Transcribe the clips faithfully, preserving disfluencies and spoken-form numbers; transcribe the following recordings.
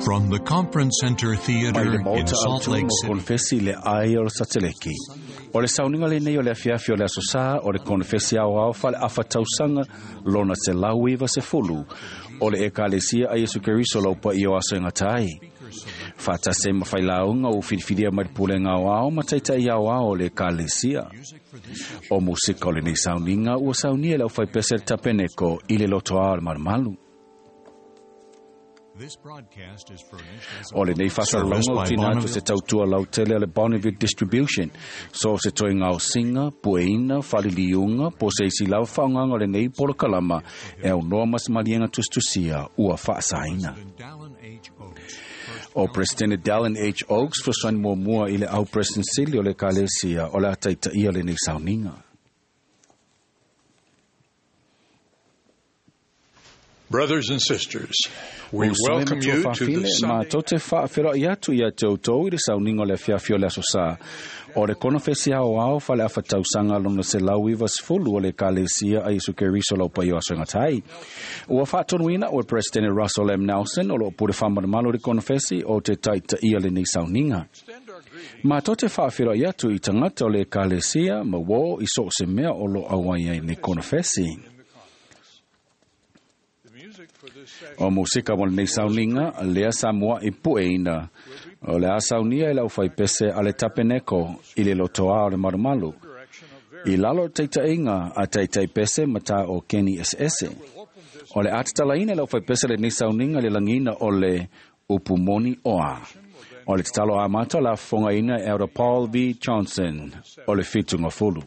From the Conference Center Theater in Salt Lake City. Konfesi le ai o le sateleki. O le sauniga lenei o le afiafi o le aso sā o le konfesi aoao faale-afatausaga lona selau iva sefulu o le Ekalesia a Iesu Keriso lau paia o aso e gata ai. Faatasi ai ma failauga ua filifilia mai le pulega aoao ma taita'i aoao o le Ekalesia. O musika o lenei sauniga ua saunia e le aufaipese le tapeneko i le lotoa o le malumalu. O lenei faasalalauga ua tuuina atu se tautua lautele a le Bonneville Distribution, so se toe gaosiga, pueina, faaliliuga, po o se isi lava faaaogaga o lenei polokalama e aunoa ma se maliega tusitusia ua faasaina. O Presidente Dallin H. Oaks fesoasoani muamua i le au President sili o le Ekalesia o le a taitaia lenei sauniga. Brothers and sisters, we Uso e welcome matua you to the faafine, Sunday matou te faafeloai atu ia te outou i le sauniga o le afiafi o le aso sā o le konofesi aoao faale-afatausaga lona selau iva sefulu o le Ekalesia a Iesu Keriso lau paia o aso e gata ai. Ua faatonuina ua Presidente Russell M. Nelson o loo pule faamalumalu i le konofesi o te taitaia lenei sauniga. Matou te faafeloai atu i tagata o le Ekalesia ma uō i so o se mea o loo auai ai lenei konofesi. O musika mo lenei sauniga lea sa mua'i pueina o le a saunia e le aufaipese a le tapeneko i le lotoa o le malumalu. I lalo o le taita'iga a taitaipese ma tā o Keni Eseese. O le a tatalaina e le aufaipese lenei sauniga i le lagiina o le upu moni oa. O le tatalo amata o le a fofogaina e Elder Paul V. Johnson o le fitugafulu.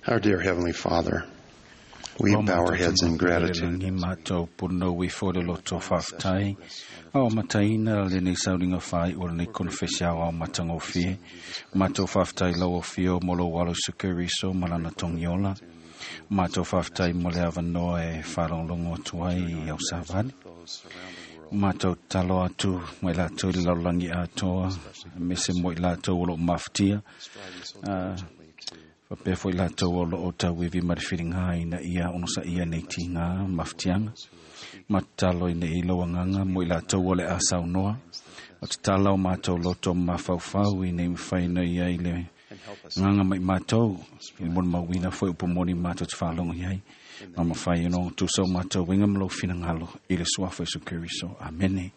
Our dear Heavenly Father, we O bow our matou heads in te matou gratitude. lagi matou punou ifo le loto faafetai ao mataina lenei sauniga fai o lenei konofesi aoao matagofie. Matou faafetai lau afio mo lou alo Iesu Keriso ma lana togiola. Matou faafetai mo le avanoa e faalogologo atu ai i au savali. Matou tatalo atu ma i latou i le lalolagi atoa, aemaise mo i latou o loo mafatia. Ah, faapea foi latou o loo tauivi ma le filiga ina ia onosaia nei tiga mafatiaga. Ma tatalo ina i lau agaga mo i latou o le a saunoa. O tatala o matou loto ma mafaufau ina ia mafai ona i ai le Nganga mai mātou, i mona mauina foi upu moni mātou te whaalongo iai. Ma mawhai ino tūsau mātou winga malo finangalo i le suafa Isu Keriso. Amene.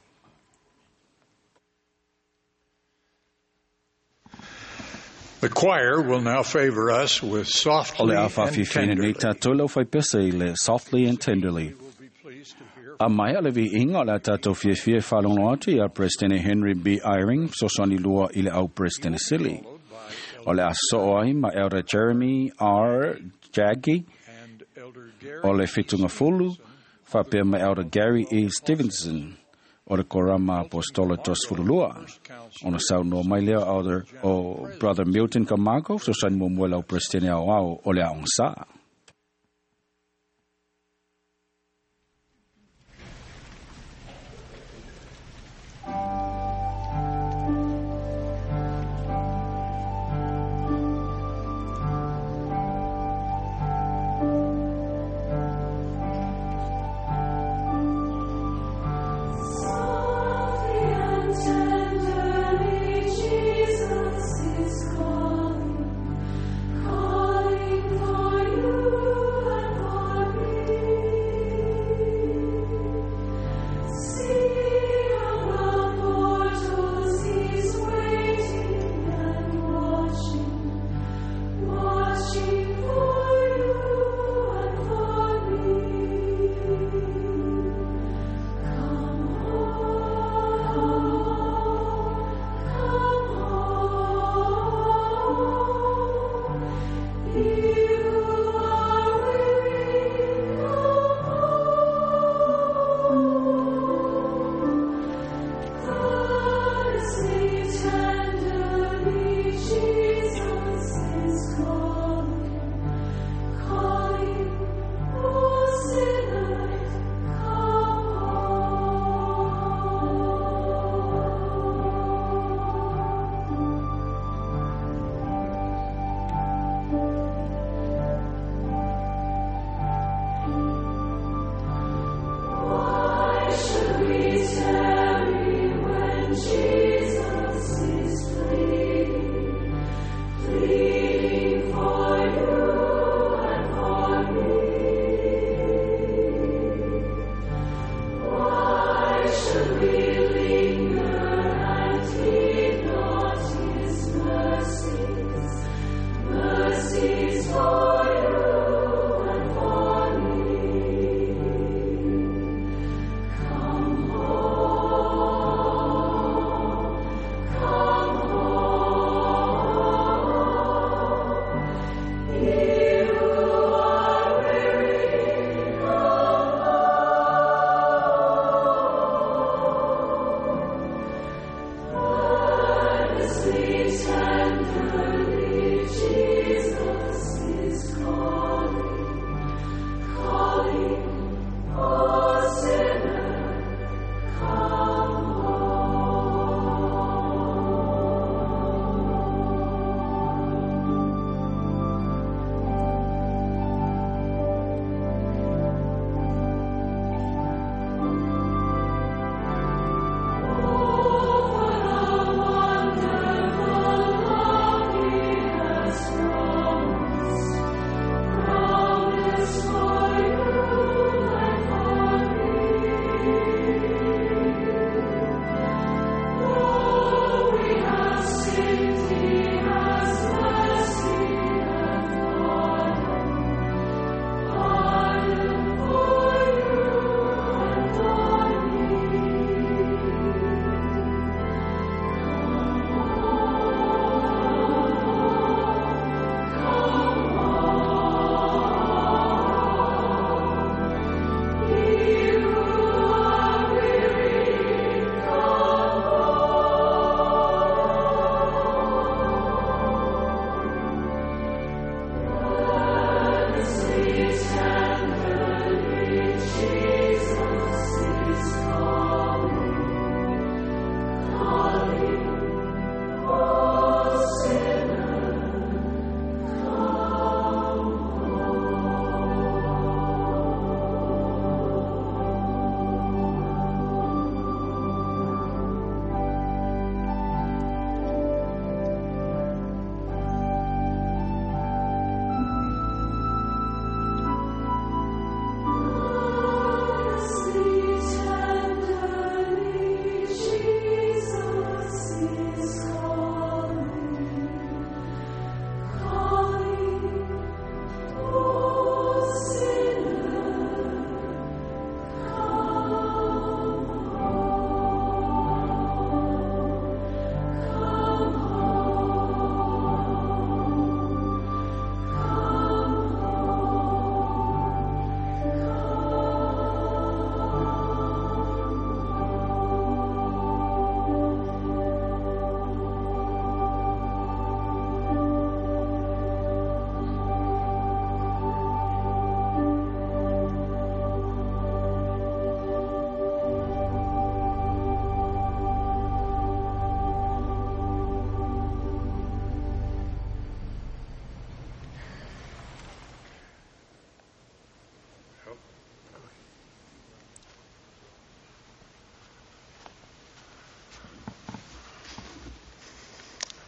The choir will now favor us with O softly le a and whawhiwhina nei tenderly. tātou lau whai pesa i le softly and tenderly. We'll be pleased to hear A mai a le vi inga o le a tātou fiafia e whalongo atu i a President Henry B. Eyring, sosoni lua i le au President Sili. O le a soo ai ma Elder Jeremy R. Jaggi, and Elder Gary o le whitunga fulu, whapea ma Elder Gary E. Stevenson, o le korama apostola tos fululua. Ona sau no mai lea Elder o Brother Milton Camargo, sosani mo mua lau President au au o le aonga sa. Softly and tenderly, Jesus is calling, calling for you.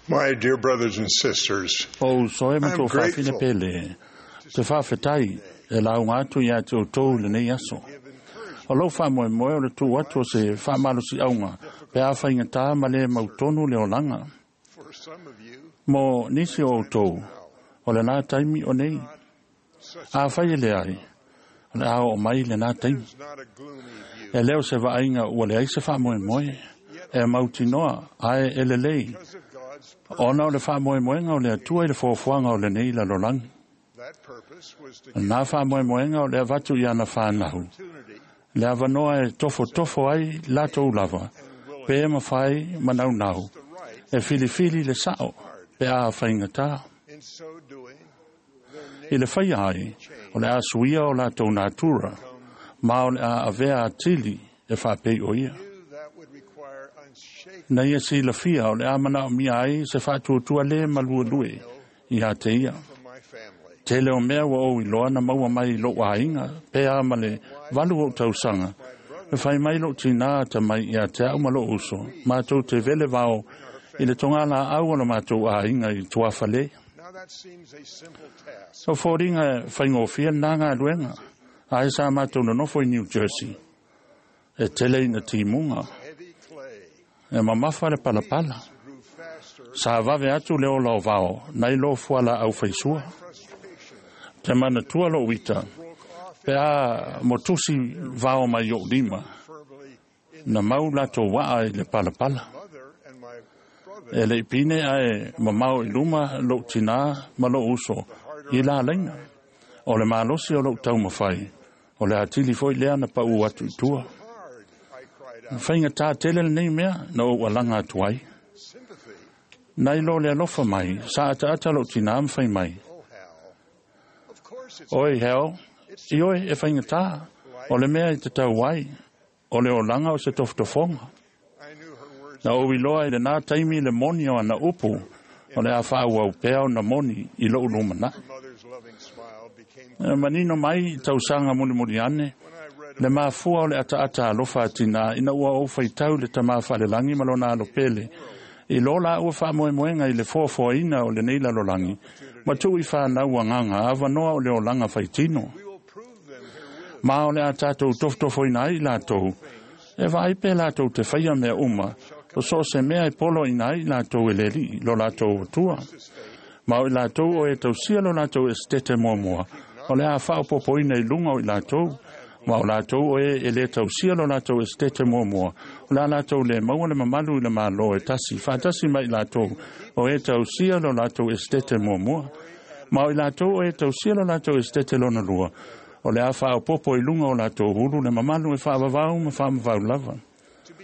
My dear brothers and sisters, O uso e ma I'm tō whawhine grateful. pele, te whawhetai e launga atu ia te o tō le nei aso. O lau wha moe moe o le tū atu o se whamalosi aunga, pe a whainga tā ma le mautonu le olanga. for some of you, Mo nisi o tō, o le nā taimi o nei. A whai e le ai, o le ao o mai le nā taimi. it's not a gloomy view. E leo se vaaiga ua leai se faamoemoe e mautinoa ae e lelei Because of God's purpose, ona o le faamoemoega o le Atua i le foafoaga o lenei lalolagi. that purpose was to O lena faamoemoega o le avatu i ana fanau opportunity le avanoa e tofotofo ai latou lava pe mafai manaunau the right. e filifili le sa'o pe a faigatā. In so doing, their I le faia ai o le a suia o latou natura ma o le a avea atili e faapei o ia. knew that would require unshaken Na ia silafia o le a manaomia ai se faatuatua lē maluelue ia te ia. from my family. Tele o mea ua ou iloa na maua mai i lou aiga pe a ma le valu ou tausaga. E fai mai lou tinā atamai ia te au ma lou uso. Matou te vele vao i le togalaau o le matou aiga i tuafale. Now that seems a simple task. O foliga e faigofie lenā galuega. Ae sa matou nonofo i New Jersey. E tele ina timuga. Heavy clay E mamafa le palapala. grew faster. Sa vave atu le ola o vao, nai lo fuala au faisua. Frustration Te manatua lou ita, broke off pe a motusi vao mai ou lima, firmly in na mau latou waa i le palapala. mother and my brother. E lei pine ae mamao i luma lou tinā ma lou uso i la laina. O le malosi o lou taumafai, o le atili foi lea na pau atu i tua. Hard, I cried out. Faigata tele lenei mea na ou alaga atu ai. Sympathy, Nai lo le alofa mai, sa ataata lou tinā ma fai mai. oh Hal. Of course it's Oi heo, i oe e faigata, o le mea i te tau ai, o le olaga o se tofotofoga. I knew her words Na ou iloa i lenā taimi le moni o ana upu, o le a faaauau pea ona moni i lou lumanai. her mother's loving smile became E manino mai i tausaga mulimuli ane, when I read le mafua o le ataata alofa atinā ina ua ou faitau le tamā faalelagi ma lona alo pele. I lo la ua faamoemoega i le foafoaina o lenei lalolagi, ma tuu i fanau agaga avanoa o le olaga faitino. we will prove them herewith Ma o le a tatou tofotofoina ai i latou, e vaai pe latou te faia mea uma, o so o se mea e poloaina ai i latou e le Alii, lo latou Atua. Ma o i latou o e tausia lo latou esetete muamua, o le a faaopoopoina i luga o i latou, ma o latou o e e lē tausia lo latou esetete muamua, o le a latou le maua le mamalu i le Mālō e tasi, faatasi mai i latou o e tausia lo latou esetete muamua. Ma o i latou o e tausia lo latou esetete lona lua, o le a faaopoopo i luga o latou ulu le mamalu e faavavau ma faamavau lava.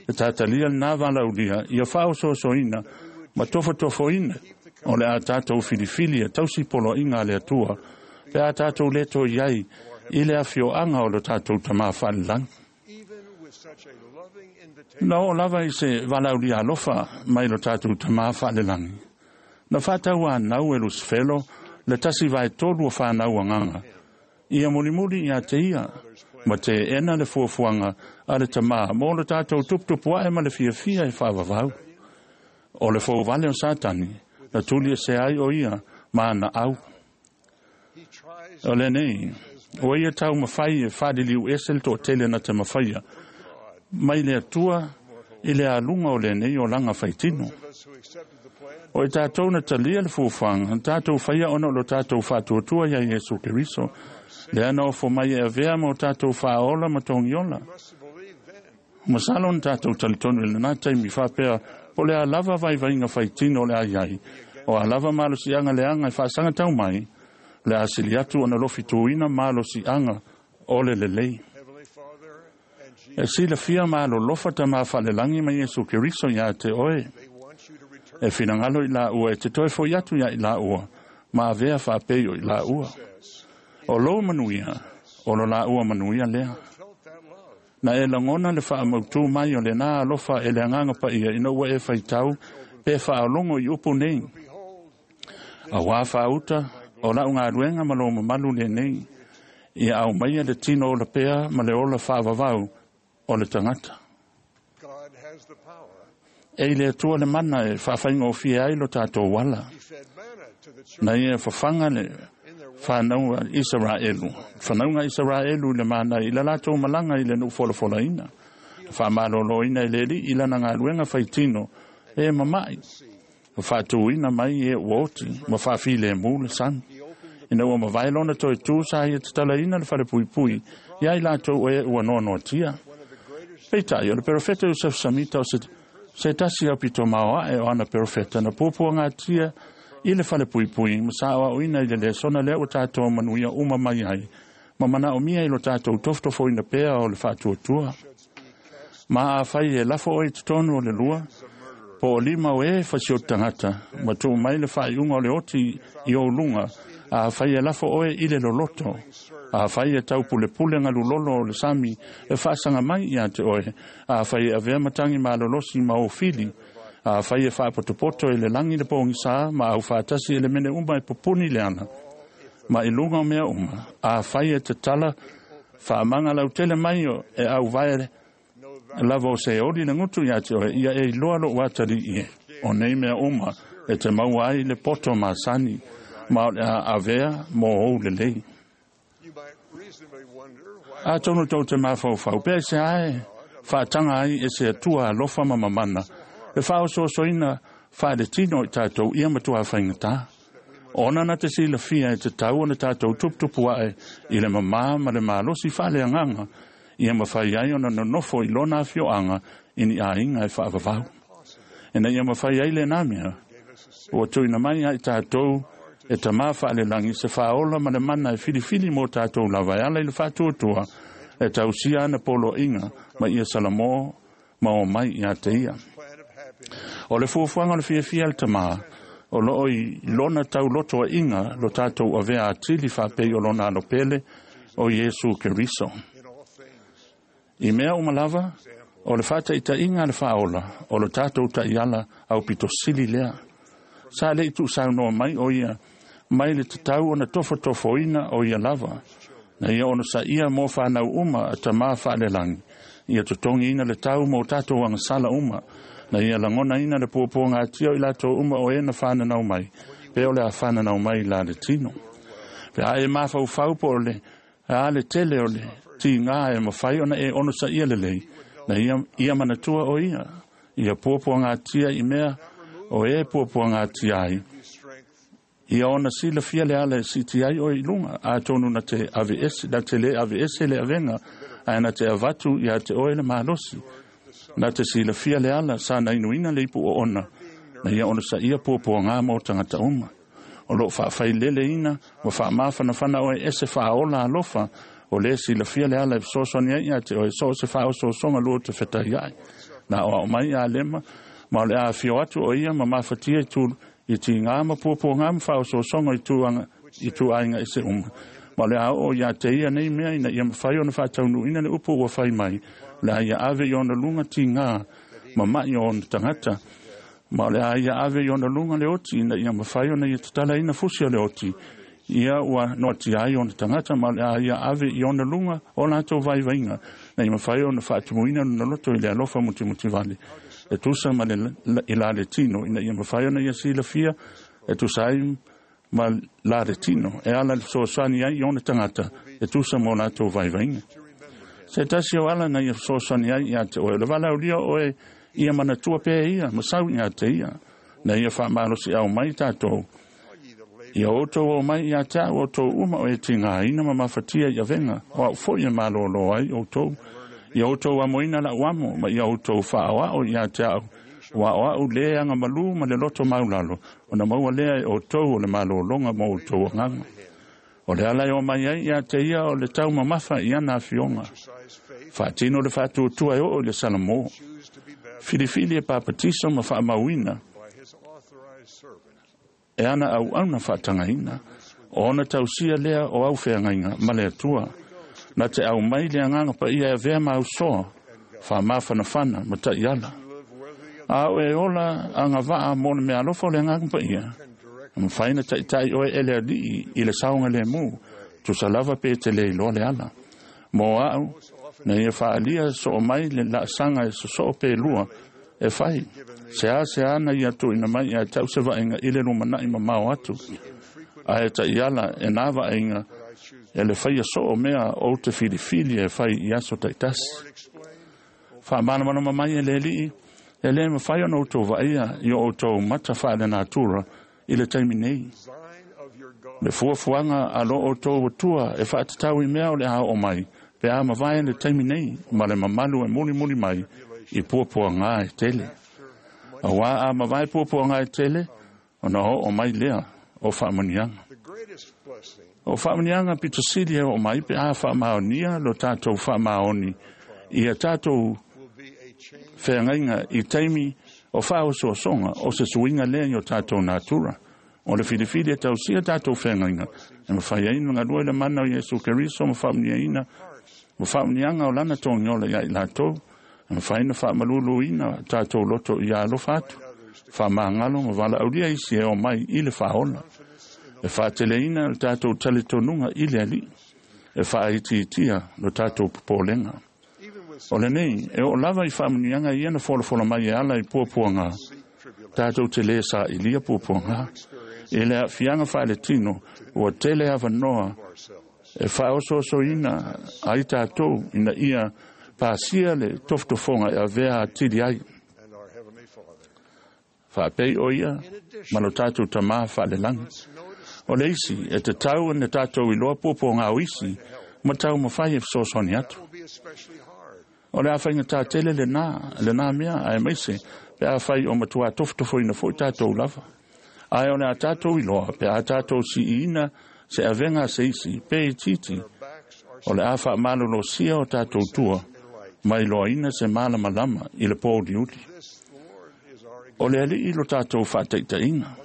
E tatalia lenā valaulia, ia faaosoasoaina ma tofotofoina, o le a tatou filifili e tausi poloaiga a le Atua, pe a tatou lē toe i ai i le afioaga o lo tatou tamā faalelagi. even with such a loving invitation Na oo lava i se valaulia alofa mai lo tatou tamā faalelagi. Na faatauanau e Lusifelo le tasi vaetolu o fanau agaga. Ia mulimuli ia te ia, ma teena le fuafuaga a le tamā mo lo tatou tuputupu ae ma le fiafia e faavavau. O le fouvale o Satani, na tuli e se ai o ia ma ana au. he tries O lenei, o ia taumafai e faaliliu ese le toatele na te mafaia, mai le Atua i le aluga o lenei olaga faitino. of us who accepted the plan O i tatou na talia le fuafuaga, na tatou faia ona o lo tatou faatuatua ia Iesu Keriso. Lea na ofo mai e avea ma o tatou faaola ma togiola. must have believed then Masalo na tatou talitonu i lenā taimi faapea, po le a lava vaivaiga faitino o le a iai, o a lava malosiaga leaga e faasagatau mai, le a sili atu ona lofituina malosiaga o le lelei. Heavenly Father and E Jesus silafia malolofa tamā faalelagi ma Iesu Keriso iā te oe. they want you to return E finagalo i laua e te toe foi atu ia i laua, ma avea faapei o i laua. success O lou manuia, o lo laua manuia lea. felt that love Na e lagona le faamautū mai o lenā alofa e le agaga paia ina ua e faitau pe faalogo i upu nei. behold Auā faauta o lau galuega ma lou mamalu lenei, ia aumaia le tino ola pea ma le ola faavavau o le tagata. God has the power E i le Atua le mana e faafaigofie ai lo tatou ala. Na ia fafaga le fanauga Isaraelu, fanauga Isaraelu i le mana i le latou malaga i le nuu folafolaina. Faamaloloina e le Alii i lana galuega faitino e mama'i, ma faatuina mai e ua oti ma faafilemu le sami. Ina ua mavae lona toe tu sa ia tatalaina le falepuipui ia i latou e ua noanoatia. Peitai, o le perofeta Iosefo Samita o se, se tasi au pito maoae o ana perofeta na puapuagatia i le falepuipui ma saoaoina i le lesona lea ua tatou manuia uma mai ai, ma manaomia i lo tatou tofotofoina pea o le faatuatua. Ma afai e lafo oe i totonu o le lua, po o lima o e fasioti tagata, ma tuu mai le faaiuga o le oti i ou luga, afai e lafo oe i le loloto, afai e taupulepule galulolo o le sami e faasaga mai ia te oe, afai e avea matagi malolosi ma ou fili, afai e faapotopoto e le lagi le pogisā ma aufaatasi e le mene uma e pupuni le ana, ma i luga o mea uma, afai e tatala faamaga lautele mai o e auvae lava o se oli le gutu ia te oe, ia e iloa lou atalii e, o nei mea uma e te maua ai le poto masani, ma o le a avea mo ou lelei. Atonu tou te mafaufau, pe se ae faataga ai e se Atua alofa ma mamana, le faaosoosoina faaletino i tatou ia matua faigatā. Ona na te silafia e tatau ona tatou tuputupu ae i le mamā ma le malosi faaleagaga, ia mafai ai ona nonofo i lona afioaga i ni aiga e faavavau. Ina ia mafai ai lenā mea, ua tuuina mai ai tatou e tamā faalelagi se faaola ma le mana e filifili mo tatou lava e ala i le faatuatua e tausia ana poloaiga ma ia salamo ma o mai ia te ia. O le fuafuaga o le fiafia le tamā, o loo i lona taulotoaʻiga lo tatou avea atili faapei o lona alopele o Iesu Keriso. I mea uma lava, o le faataʻitaʻiga a le faaola, o lo tatou taʻiala aupitosili lea. Sa leʻi tuusaunoa mai o ia, mai le tatau ona tofotofoina o ia lava, na ia ona saia mo whanau uma a tamā faalelagi, ia totogiina le tau mo tatou agasala uma, na ia lagonaina le puapuagatia o i latou uma o e na fananau mai, pe o le a fananau mai la le tino. Pe a e mafaufau po o le a le tele o le tigā e mafai ona e onosaia lelei, na ia, ia manatua o ia, ia puapuagatia i mea o e puapuagatia ai, ia ona silafia le ala e siti ai o i luga, atonu na te ave ese, na te le ave ese le avega, ae na te avatu ia te oe le malosi, na te silafia le ala sa na inuina le ipu o ona, na ia ona sa ia puapuaga mo tagata uma. O loo faafaileleina ma faamafanafana oe ese faaola alofa, o le silafia le ala e fesoasoani ai ia te oe so o se faaosoosoga lua te fetai ai. Na o ao mai a lema, ma o le afio atu o ia ma mafatia i tu i tigā ma puapuaga ma faaosoosoga i tuaga i tuaiga ese uma. Ma o le a oo ia te ia nei mea ina ia mafai ona faataunuuina le upu ua fai mai, o le a ia ave i ona luga tigā ma maʻi o ona tagata. Ma o le a ia ave i ona luga le oti ina ia mafai ona ia tatalaina fusi o le oti, ia ua noatia ai ona tagata, ma o le a ia ave i ona luga o latou vaivaiga, na ia mafai ona faatumuina lona loto i le alofa mutimutivale, e tusa ma le i la le tino, ina ia mafai ona ia silafia e tusa ai ma la le tino, e ala le fesoasoani ai i ona tagata, e tusa mo latou vaivaiga. Se tasi o ala na ia fesoasoani ai ia te oe, o le valaaulia oe ia manatua pea ia, ma sau ia te ia, na ia faamalosiau mai tatou, ia outou o mai ia te au outou uma o e tigāina ma mafatia i avega, o au foi e malōlō ai outou, ia outou amoina lau amo, ma ia outou faaoao ia te au, ua o au le agamalū ma le loto maulalo, ona maua lea e outou o le malōloga mo outou agaga. O le ala e o mai ai ia te ia o le taumamafa i ana afioga. Faatino le faatuatua e oo i le Salamo. Filifili e papatiso ma faamauina e ana auauna faatagaina, o ona tausia lea o au feagaiga ma le Atua. Na te aumai le agaga paia e avea ma ausoa, faamafanafana ma taʻiala. A o e ola agavaa mo le meaalofa o le agaga paia, e mafai na taʻitaʻi oe e le Alii i le saogalēmū, tusa lava pe te le iloa le ala. Mo au, na ia faalia soo mai le laasaga e sosoo pe lua, E fai, se a se ana ia tuuina mai ia te au se vaaiga i le lumanai mamao atu. Ae taiala e nā vaaiga e le faia soo mea ou te filifili e fai i aso taitasi. Faamalamalama mai e le Alii, e lē mafai ona outou vaaia i o outou mata faalenatura i le taimi nei. Le fuafuaga a lo outou Atua e faatatau i mea o le a oo mai, pe a mavae le taimi nei ma le mamalu e mulimuli mai i puapuagā e tele. Auā a mavae puapuagā e tele, ona oo mai lea o faamanuiaga. O faamanuiaga pito sili e oo mai pe a faamaonia lo tatou faamaoni ia tatou feagaiga i taimi o faaosoosoga o se suiga lea i o tatou natura. O le filifili e tausia tatou feagaiga e mafai ai ona galue le mana o Iesu Keriso ma faamanuiaina ma faamanuiaga o lana togiola iā i latou, e mafai ona faamaluluina tatou loto ia alofa atu, faamagalo ma valaaulia isi e omai i le faaola. E faateleina le tatou talitonuga i le Alii, e faaitiitia lo tatou popolega. O lenei, e oo lava i faamanuiaga ia na folafola mai e ala i puapuagā, tatou te lē sailia puapuagā. I le aafiaga faaletino, ua tele avanoa e faaosoosoina ai tatou ina ia pasia le tofotofoga e avea atili ai. Faapei o ia ma lo tatou Tamā faalelagi. O le isi, e tatau ona tatou iloa puapuagā o isi ma taumafai e fesoasoani atu. O le a faigata tele lenā, lenā mea, aemaise pe afai o matuā tofotofoina foi tatou lava. Ae o le a tatou iloa pe a tatou siiina se avega a se isi, pe itiiti, o le a faamalolosia o tatou tua ma iloaina se malamalama i le pouliuli. O le Alii lo tatou faataitaiga.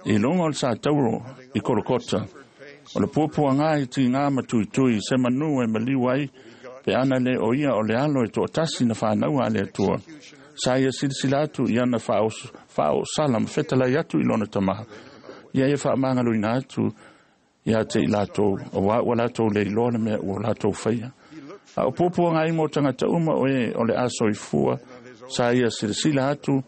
I luga o le satauro i Kolokota, o le puapuagā i tigā ma tuitui se manu e maliu ai pe ana lē o ia o le alo e toatasi na fanaua a le Atua. Sa ia silasila atu i ana faaoosala ma fetalai atu i lona Tamā, ia ia faamagaloina atu ia te i latou, auā ua latou le iloa le mea ua latou faia. A o puapuaga ai mo tagata uma o e o le a soifua, sa ia silasila atu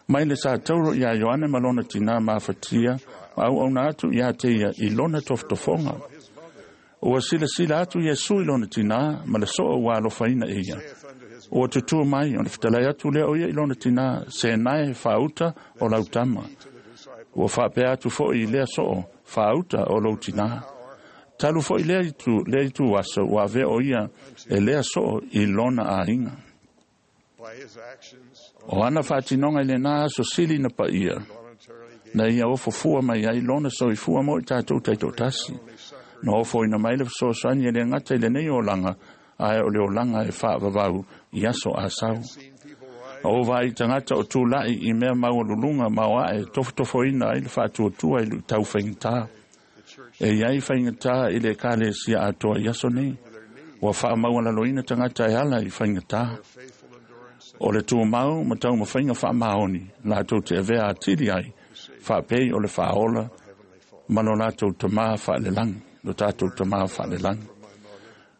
mai le satauro iā Ioane ma lona tinā mafatia ma auauna atu iā te ia i lona tofotofoga. Ua silasila atu Iesu i lona tinā ma le soo ua alofaina e ia. Ua tutū mai ona fetalai atu lea o ia i lona tinā, “Senae faauta o lau tama.” Ua faapea atu foi i lea soo, “Faauta o lou tinā.” Talu foi lea itu, lea itu aso ua avea o ia e lea soo i lona aiga. O ana faatinoga i lenā aso sili na paia, na ia ofofua mai ai lona soifua mo i tatou taitoatasi. Na ofoina mai le fesoasoani e le gata i lenei olaga, ae o le olaga e faavavau i aso a sau. Na ou vaai i tagata o tulai i mea maualuluga ma o ae tofotofoina ai le faatuatua i luitau faigata. E i ai faigata i le Ekalesia atoa i aso nei. Ua faamaualaloina tagata e ala i faigata. O le tumau ma taumafaiga faamaoni latou te avea atili ai, faapei o le faaola ma lo latou Tamā faalelagi, lo tatou Tamā faalelagi.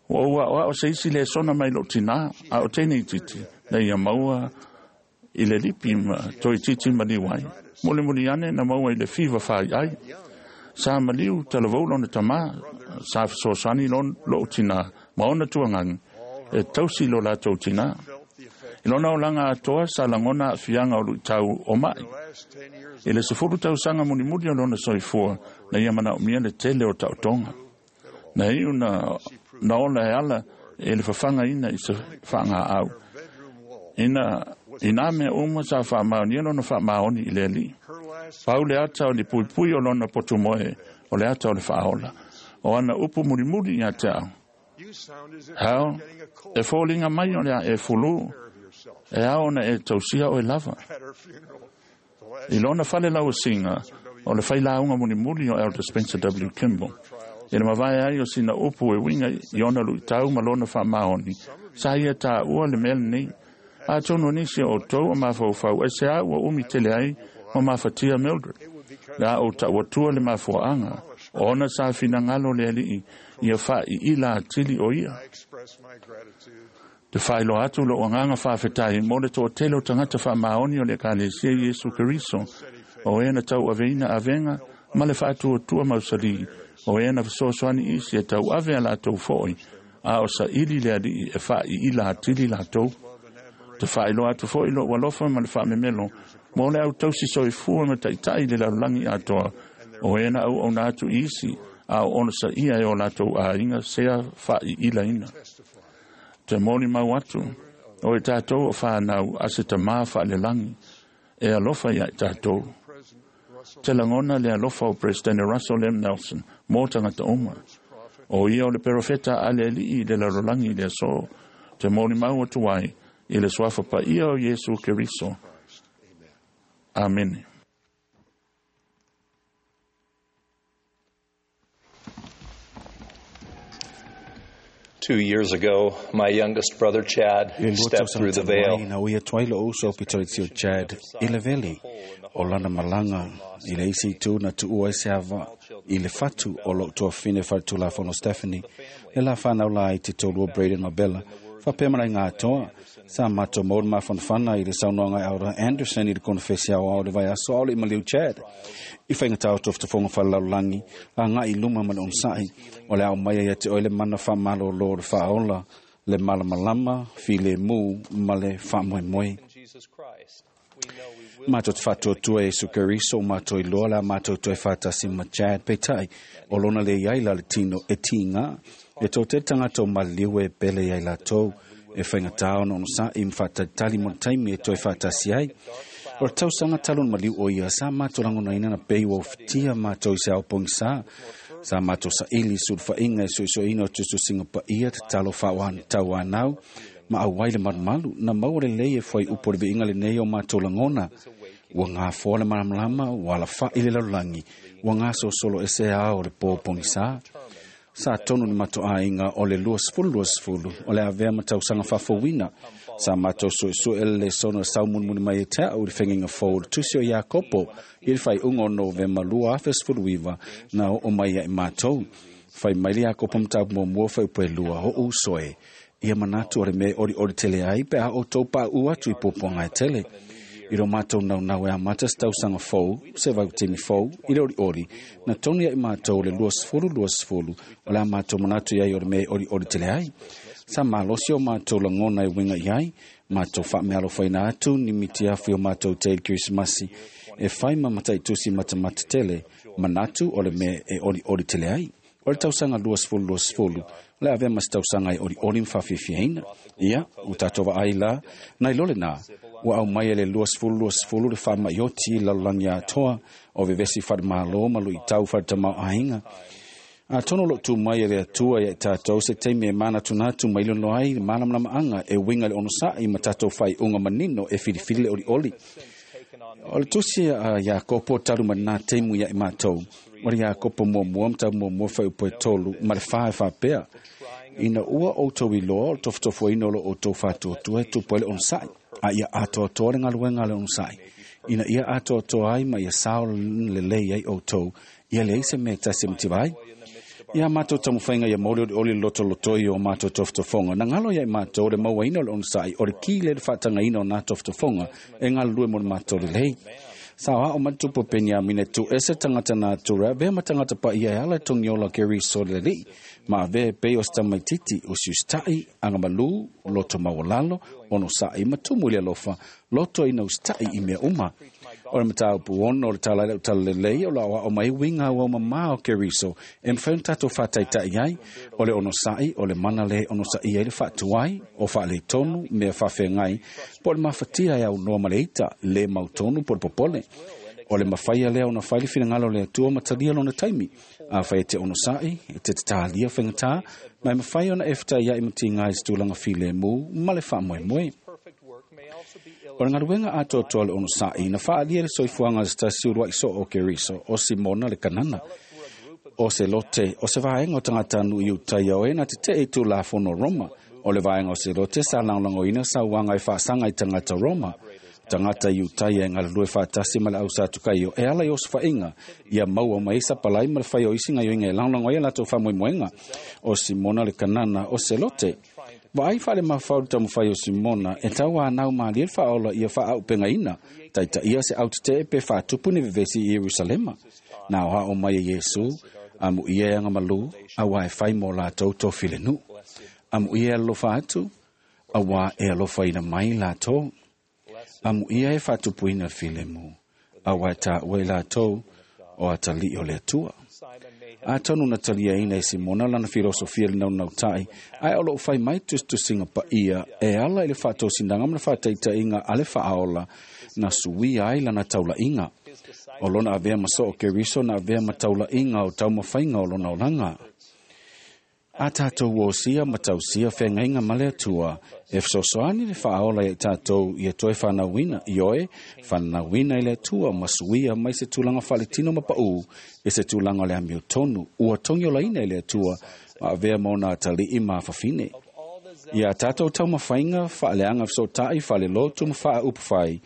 Ua ou aoao se isi lesona mai lou tinā, a o teine itiiti, na ia maua i le lipi ma toeitiiti maliu ai. Mulimuli ane na maua i le fiva faiai. Sa maliu talavou lona tamā, sa fesoasoani lou tinā ma ona tuagagi e tausi lo latou tinā. I lona olaga atoa sa lagona aafiaga o luitau o mai. I le sefulu tausaga mulimuli o lona soifua, na ia manaomia le tele o taotoga. Na iu na, na ola e ala e le fafagaina i se faagaau. Ina, i nā mea uma sa faamaonia lona faamaoni i le Alii. Pau le ata o le puipui o lona potumoe o le ata o le faaola. O ana upu mulimuli ia te au, “Hal, e foliga mai o le a e fulū, e ao ona e tausia oe lava.” I lona fale lauasiga, o le failauga mulimuli o Elder Spencer W. Kimball. I le mavae ai o sina upu e uiga i ona luitau ma lona faamaoni, sa ia taua le mea lenei. Atonu o nisi o outou o mafaufau aisea ua umi tele ai ma mafatia Mildred. Le a ou tau atua le mafuaaga, ona sa finagalo le Alii ia faaiila atili o ia. Te whailoa atu lo anganga whawhetai mo le toatele o tangata whaamaoni o le ekalesia Iesu Keriso o e na tau aveina avenga ma le whaatuatua mausali o e na fesoasoani isi e tau ave a latou fo'i a o saili le alii e faaiila atili latou. Te whailoa atu fo'i lo'u alofa ma le faamemelo mo le autausi soifua ma taʻitaʻi le lalolagi atoa o e na auauna atu i isi a o ona saia e o latou aiga sea faaiilaina. Te moli mau atu o i tatou o whanau a se tamā whaalelagi e alofa ia i tatou. Te lagona le alofa o President Russell M. Nelson mō tagata uma. O ia o le perofeta a le alii i le lalolagi i le aso. Te moli mau atu ai i le suafa paia o Iesu Keriso. Amene. Two years ago, my youngest brother Chad I le lua stepped tausaga through the talu ai veil. na ui atu ai lo'u uso o Pitoritio Chad i le veli o lana malaga i le isi itu na tuua ai se ava i le fatu o lo'u tuafine faletulafono Stephanie le la whanau la i te tolu o Braden Mabella faapea ma laiga atoa sa matou maua le mafanafana i le saunoaga e Aura Anderson i le konofesi aoao le vaiaso ao le i maliu Chad i faigata o tofotofoga falelalolagi agaʻi i luma ma le onosaʻi o le ao mai ai ia te oe le mana faamalōlō o le faaola le malamalama filemu ma le faamoemoe. Matou te faatuatua Iesu Keriso o matou iloa le a matou toe faatasi ma Chad peitai o lona le iai la le tino e tiga e toatele tagata o maliliu e pele iai latou e faigatā ona onosaʻi ma faatalitali mo le taimi e toe faatasi ai. O le tausaga talu ona maliu o ia sa matou lagonaina na pei ua ofitia matou i se ao pogisā sa matou saili sulufaʻiga e suʻesuʻeina o tusitusiga paia tatalo faaoatauanau ma auai le malumalu na maua lelei e fuaiupu o le viiga lenei o matou lagona. Ua gafoa le malamalama ua alafaʻi le lalolagi ua gasolosolo ese ao o le pō pogisā. Sa tonu le matoʻaiga o le luasefulu luasefulu o le avea ma tausaga faafouina sa matou suʻesuʻe le lesona le saumulimuli mai e te aʻu i le fegiga fou o le tusi o Iakopo i le faaiuga o Novema lua afe sefuluiva na oo mai ai matou. Fai mai le Iakopo mataupu muamua fuaiupu e lua oʻu uso e ia manatu o le mea e olioli tele ai pe a outou paʻu atu i puapuaga e tele. I lo matou naunau e amata se tausaga fou se vautini fou i le olioli na tonu iaʻi matou le luasefulu luasefulu o le a matou manatu iai o le mea e olioli tele ai. Sa malosi o matou lagona e uiga i ai matou faamealofaina atu ni mitiafu i o matou te i le Kerisimasi e fai ma mataitusi matamata tele manatu o le mea e olioli tele ai. O le tausaga luasefulu luasefulu o le avea ma se tausaga e olioli ma faafiafiaina. Ia ua tatou vaai la nai lo lenā ua aumai e le luasefulu luasefulu le faamaʻioti i le lalolagi atoa o vevesi falemālō ma luʻitau faletamaoaiga. Atonu o loʻo tu mai e le Atua ia i tatou se taimi e manatunatu mai lono ai le malamalamaʻaga e uiga i le onosaʻi ma tatou faaiuga manino e filifili le olioli. O le tusi a Iakopo talu ma lenā taimu ia i matou o le Iakopo muamua mataupu muamua fuaiupu e tolu ma le fa e faapea ina ua outou iloa o le tofotofoina o lo outou faatuatua e tupu ai le onosaʻi a ia atoatoa le galuega a le onosaʻi ina ia atoatoa ai ma ia sao lelei ai outou ia leai se mea e tasi e mativa ai. Ia matou taumafaiga ia maua le olioli le lotolotoi o matou tofotofoga na galo ia i matou le mauaina o le onosaʻi o le ki lea le faatagaina o nā tofotofoga e galulue mo le matou lelei. Sa oaʻo mai le tupu o Peniamina e tuuese tagata natura avea ma tagata paia e ala i togiola o Keriso le alii ma avea e pei o se tamaititi usiusitaʻi agamalū loto maualalo onosaʻi ma tumu i le alofa loto ina usitaʻi i mea uma. O le mataupu ono o le tala i lau talalelei o le aoaʻo mai uiga auaumamā o Keriso e mafai ona tatou faataitaʻi ai o le onosaʻi o le mana lē onosaʻia ai le faatuai o faaletonu mea faafeagai po o le mafatia e aunoa ma le ita lē mautonu po o le popole. O le mafaia lea ona fai le finagalo o le Atua ma talia lona taimi. Afai e te onosaʻi e te tatalia faigatā ma e mafai ona e fetaiaʻi ma tiga i se tulaga filemu ma le faamoemoe. O le galuega atoatoa le onosaʻi na faaalia le soifuaga o se tasi uluaʻi soo o Keriso o Simona le Kanana. O se lote o se vaega o tagata-nuu i Iutaia o e na teteʻe i tulafono o Roma. O le vaega o se lote sa lagolagoina sauaga e faasaga i tagata Roma. Tagata i Iutaia e galulue faatasi ma le ausatukaio e ala i osofaʻiga ia maua mai ai sapalai ma le fai o isi gaioiga e lagolago ai a latou faamoemoega. O Simona le Kanana o se lote Vaai faale mafau le taumafai o Simona e tauanau malie le faaola ia faaaupegaina taitaia se autetee pe faatupu ni vevesi i Ierusalema. Na aoao mai e Iesu, amuia e agamalu, auā e fai mo latou tofilenuu. Amuia e alolofa atu, auā e alofaina mai latou. Amuia e faatupuina le filemu, auā e taua i latou o atalii o le Atua. Atonu na taliaina e Simona lana filosofia le naunautai, ae o loo fai mai tusitusiga paia e ala i le faatosinaga ma le faataitaiga a le faaola na suia ai lana taulaiga. O lona avea ma soo Keriso na avea ma taulaiga o taumafaiga o lona olaga. A tatou osia ma tausia feagaiga ma le Atua, e fesoasoani le faaola ia i tatou ia toe fanauina, ioe, fanauina i le Atua ma suia mai se tulaga faaletino ma paū i se tulaga o le amiotonu, ua togiolaina i le Atua ma avea ma ona atalii ma afafine. Ia tatou taumafaiga faaleaga fesootai faalelotu ma faaupufai,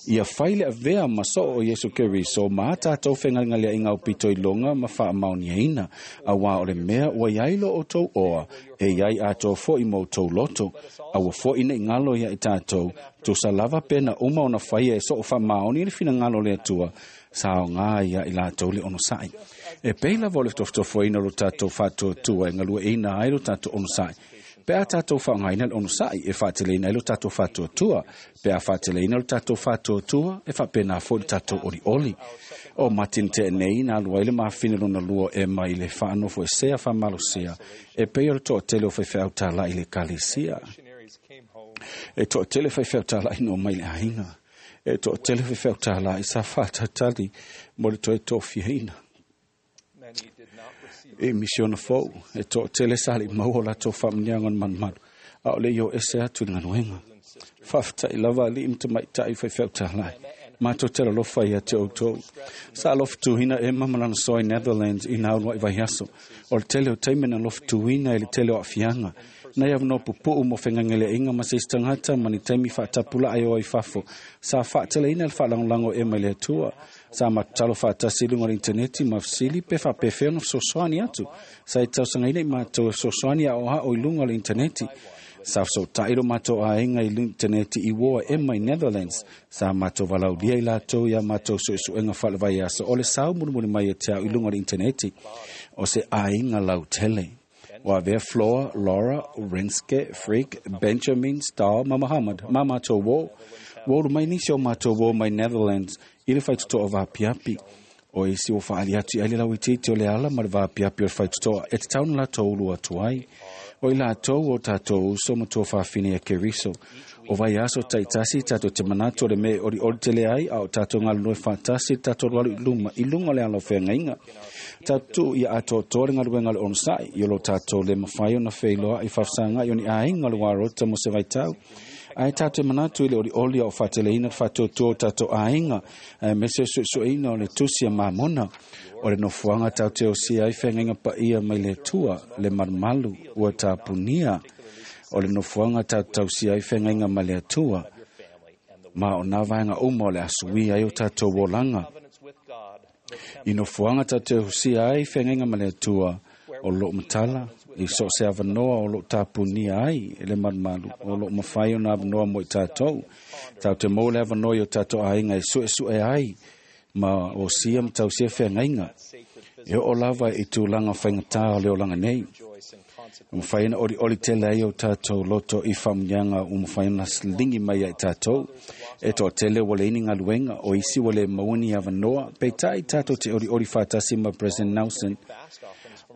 ia fai le avea ma soo o Iesu Keriso ma a tatou fegalegaleaiga aupito iloga ma faamaoniaina, auā o le mea ua iai lo outou oa, e iai atoa foi ma outou loto, aua foi nei galo ia i tatou, tusa lava pe na uma ona faia e soo faamaoni le finagalo o le Atua, sa aogā ia i latou le onosai. E pei lava o le tofotofoina o lo tatou faatuatua e galueaiina ai lo tatou onosai. Pe a tatou faaaogaina le onosai e faateleina ai lo tatou faatuatua, pe a faateleina lo tatou faatuatua e faapena foi le tatou olioli. O Martin Tenei na alu ai le mafine lona lua e mai le faanofo esea faamalosia e pei o le toatele o faifeau talai i le ekalesia. E toatele faifeau talai na omai i le aiga. E toatele faifeau talai sa faatalitali mo le toe tofiaina. E misiona fou, e toatele sa le maua o latou faamanuiaga o le malumalu, a o le i o ese atu i le galuega. Faafetai lava alii ma tamaitai faifeau talai. Matou te alolofa ia te outou. Sa alofa Emma ma lana soa i Netherlands i na uluai vaiaso. O le tele o taimi na alofa i le tele o aafiaga. Nai avanoa pupuu mo fegalegaleaiga ma se isi tagata ma ni taimi faatapulaa e o ai fafo. Sa faateleina le faalagolago o Emma i le Atua. Sa matatalo faatasi i luga o le interneti ma fesili pe faapefea ona fesoasoani atu. Sa i tausagaina i matou e fesoasoani aoao i luga o le interneti. Sa fesootai lo matou aiga i le interneti i uō a Emma i Netherlands. Sa matou valaulia i latou ia matou suesuega faalevaiaso o le sau mulimuli mai e te au i luga o le interneti. O se aiga lautele. Ua avea Flora, Laura, Renske, Freak, Benjamin, Star ma Muhammad ma matou uō. Ua ulu mai nisi o matou uō mai Netherlands i le faitotoa vaapiapi. O isi ua faaali atu i ai le lauitiiti o le ala ma le vaapiapi o le faitotoa e tatau ona latou ulu atu ai. O i latou o tatou uso ma tuafafine ia Keriso. O vaiaso taitasi tatou te manatu o le mea e olioli tele ai a o tatou galulue faatasi le tatou alualu i luma i luga o le ala o feagaiga. Tatou tuu ia atoatoa le galuega o le onosai i o lo tatou le mafai ona feiloai faafesagai o ni aiga o le uarota mo se vaitau. Ae tatou manatu i le olioli a o faateleina le faatuatua o tatou aiga, aemaise o suesueina o le tusi a Mamona. O le nofoaga tatou te osia ai feagaiga paia mai le Atua, le malumalu ua tapunia. O le nofoaga tatou tausia ai feagaiga mai le Atua, ma o nā vaega uma o le asuia ai o tatou olaga. I nofoaga tatou te osia ai feagaiga ma le Atua, o loo matala i so o se avanoa o loo tapunia ai e le malumalu, o loo mafai ona avanoa mo i tatou. Tatou te maua le avanoa i o tatou aiga e suesue ai ma osia ma tausia feagaiga. E oo lava i tulaga faigatā o le olaga nei. Ua mafai ona olioli tele ai o tatou loto i faamanuiaga ua mafai ona ligi mai ia i tatou. E toatele ua leai ni galuega, o isi ua le maua ni avanoa, peitai tatou te olioli faatasi ma President Nelson.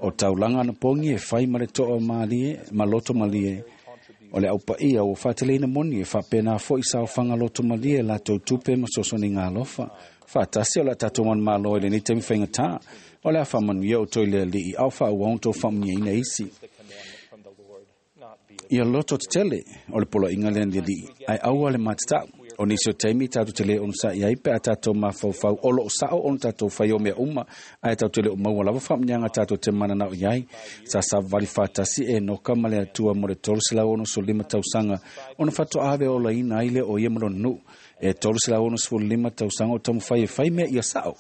O taulaga anapogi e fai ma le toa malie, ma loto malie. O le aupaia ua faateleina moni e faapena foi saofaga loto malie latou tupe ma fesoasoaniga alofa. Faatasi o le a tatou manumalo i lenei taimi faigatā. O le a faamanuia outou i le Alii, a o faaauau ona outou faamanuiaina isi. Ia loto tetele o le poloaiga lea na le Alii, ae aua le matatau. O nisi o taimi tatou te le onosai ai pe a tatou mafaufau o loo sao ona tatou fai o mea uma, ae tatou te le o maua lava faamanuiaga tatou te mananao i ai. Sa savavali faatasi e Enoka ma le Atua mo le tolu selau onosefulu lima tausaga ona faatoa ave olaina ai lea o ia ma lona nuu. E tolu selau onosefulu lima tausaga o taumafai e fai mea ia sao.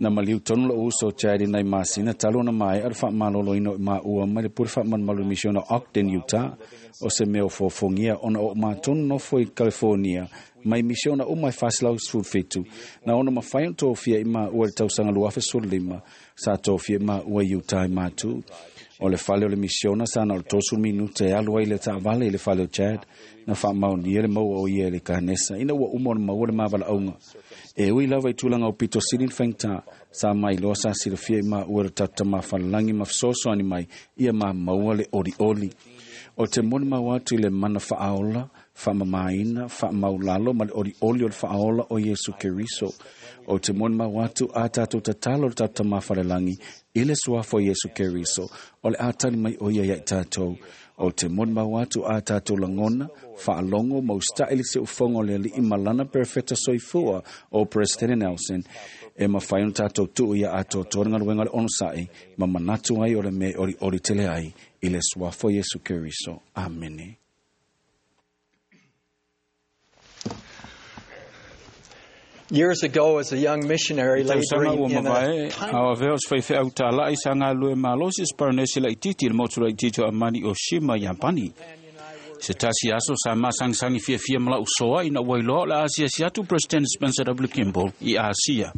Na maliu tonu lou uso o Chad i nai masina talu ona mae'a le faamaloloina o i maua mai le pule faamalumalu misiona Ogden, Utah, o se mea o fofogia ona o matonu nofo i California mai misiona uma e faselau sefulufitu na ona mafai ona tofia i maua i le tausaga lua afe sefululima sa tofia i maua i Utah i matu. O le fale o le misiona sa na o le tolusefulu minuta e alu ai le taavale i le fale o Chad na faamaonia le maua o ia i le kanesa ina ua uma ona maua le mavalaauga. E ui lava i tulaga o pito sili le faigata sa mailoa sa silafia i maua le tatou tamafalelagi ma fesoasoani mai ia maua le olioli. O te molimau atu i le mana faaola, faamamaina, faamaulalo ma le olioli o le faaola o Iesu Keriso. O te molimau atu a tatou tatalo le tatou tamafalelagi i le suafa o Iesu Keriso, o le atali mai o ia ia i tatou. O te molimau atu a tatou lagona, faalogo ma usita'i le siufogo o le Alii ma lana perofeta soifua o President Nelson, e mafai ona tatou tuu ia atoatoa le galuega o le onosa'i ma manatu ai o le mea e olioli tele ai i le suafa o Iesu Keriso. Amene. Years ago, as a young missionary laboring in a tiny Ao avea o se faifeau tāla'i sa galue malosi se paranesi laitiiti i le motu laitiiti o Amani o Shima, Iapani. Se tasi aso sa masangisangi fiafia ma la'u soa ina ua iloa o le asiasi atu President Spencer W. Kimball i Asia.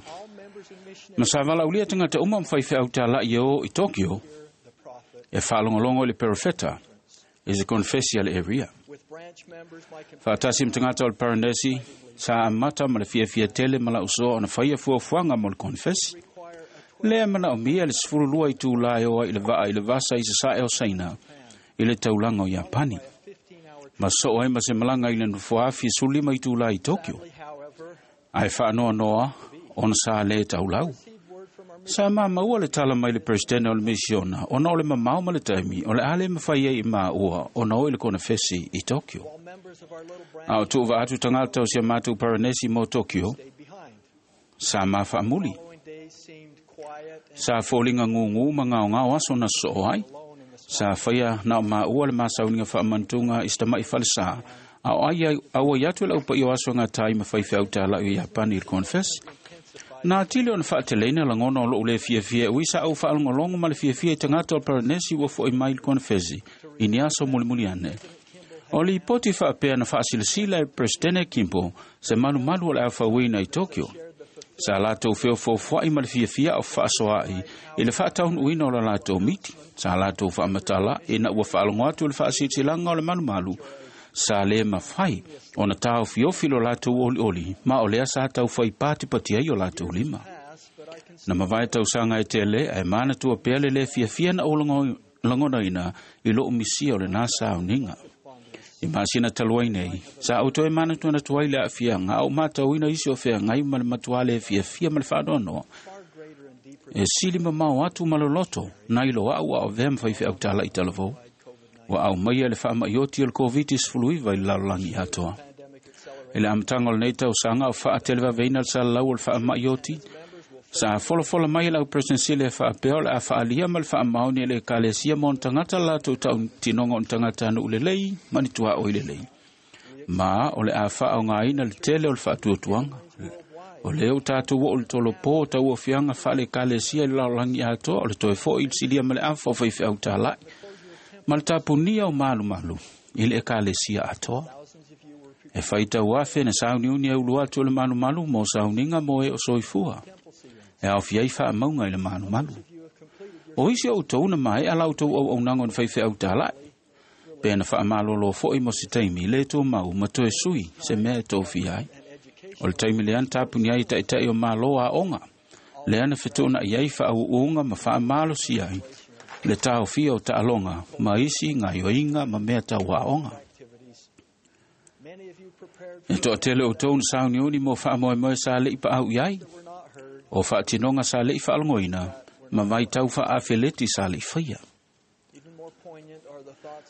Ma sa valaulia tagata uma ma faifeau tāla'i e o i Tokyo e faalogologo i le perofeta i se konfesi a le area. Faatasi ma tagata o le paranesi sa amata ma le fiafia tele ma la'u soa ona faia fuafuaga mo le konfesi. Lea manaomia le sefululua i tulā e o ai i le vaa i le vasa i sasa'e o Saina i le taulaga o Iapani. Ma soo ai ma se malaga i le nofoafi e sefululima i tulā i Tokyo. Ae faanoanoa ona sa lē taulau. Sa mamaua le tala mai le presidente o le misiona ona o le mamao ma le taimi o le a le mafai ai i maua ona o i le konefesi i Tokyo. A o tuuva atu tagata o sia matou paranesi mo Tokyo sa mafaamuli. Sa foliga gugū ma gaogao aso na soo ai. Sa faia na o maua le masauniga faamanatuga i se tama'i falesā a o ai auai atu e le aupaia o aso gatai ma faifeau tāla'i o Iapani i le konefesi. Na tili ona faateleina lagona o lou lē fiafia e ui sa au faalogologo ma le fiafia i tagata o le paranesi ua fo'i mai i le konefesi i ni aso mulimuli ane. O lipoti faapea na faasilasila e Presidente Kimball se malumalu o le afauina i Tokyo. Sa latou feofoofoa'i ma le fiafia o faasoa'i i le faataunuuina o la latou miti. Sa latou faamatala ina ua faalogo atu i le faasilasilaga o le malumalu sa lē mafai ona taofiofi lo latou olioli ma o lea sa taufai patipati ai o latou lima. Na mavae tausaga e tele ae manatua pea le lē fiafia na ou lagonaina i lou misia o lenā sauniga. I masina talu ai nei, sa ou toe manatuanatu ai le aafiaga a ou matauina isi o feagai ma le matuā lē fiafia ma le faanoanoa. E sili mamao atu ma loloto nai lo a'u a o avea ma faifeau tāla'i talavou. Ua aumaia le faama'ioti o le COVID sefuluiva i le lalolagi atoa. I le amataga o lenei tausaga o faatelevaveina le salalau o le faama'ioti, sa folafola mai e lau presidensile e faapea o le a faaalia ma le faamaoni e le ekalesia mo ona tagata le latou tautinoga o ni tagata nuu lelei ma ni tuaʻoi lelei. Ma o le a faaaogāina le tele o le faatuatuaga. O lea ua tatou oo i le tolopō o tauaofiaga faale-ekalesia i le lalolagi atoa o le toe fo'i i le silia ma le afa o faifeau tāla'i ma le tapunia o malumalu i le ekalesia atoa. E faitau afe na sauniuni e ulu atu o le malumalu mo sauniga mo e o soifua. E aofia ai faamauga i le malumalu. O isi o outou na mae'a la outou auaunaga o ni faifeau tāla'i. Pe na faamalōlō fo'i mo se taimi le tumau ma toe sui se mea e tofia ai. O le taimi lea na tapuni ai ta'ita'i o mālō aoga. Lea na fetuuna'i ai faauuga ma faamalosi ai le taofia o taaloga ma isi gaioiga ma mea tauaoga. E toatele outou na sauniuni mo faamoemoe sa le'i paau i ai, o faatinoga sa le'i faalogoina ma vaitau faaafeleti sa le'i faia.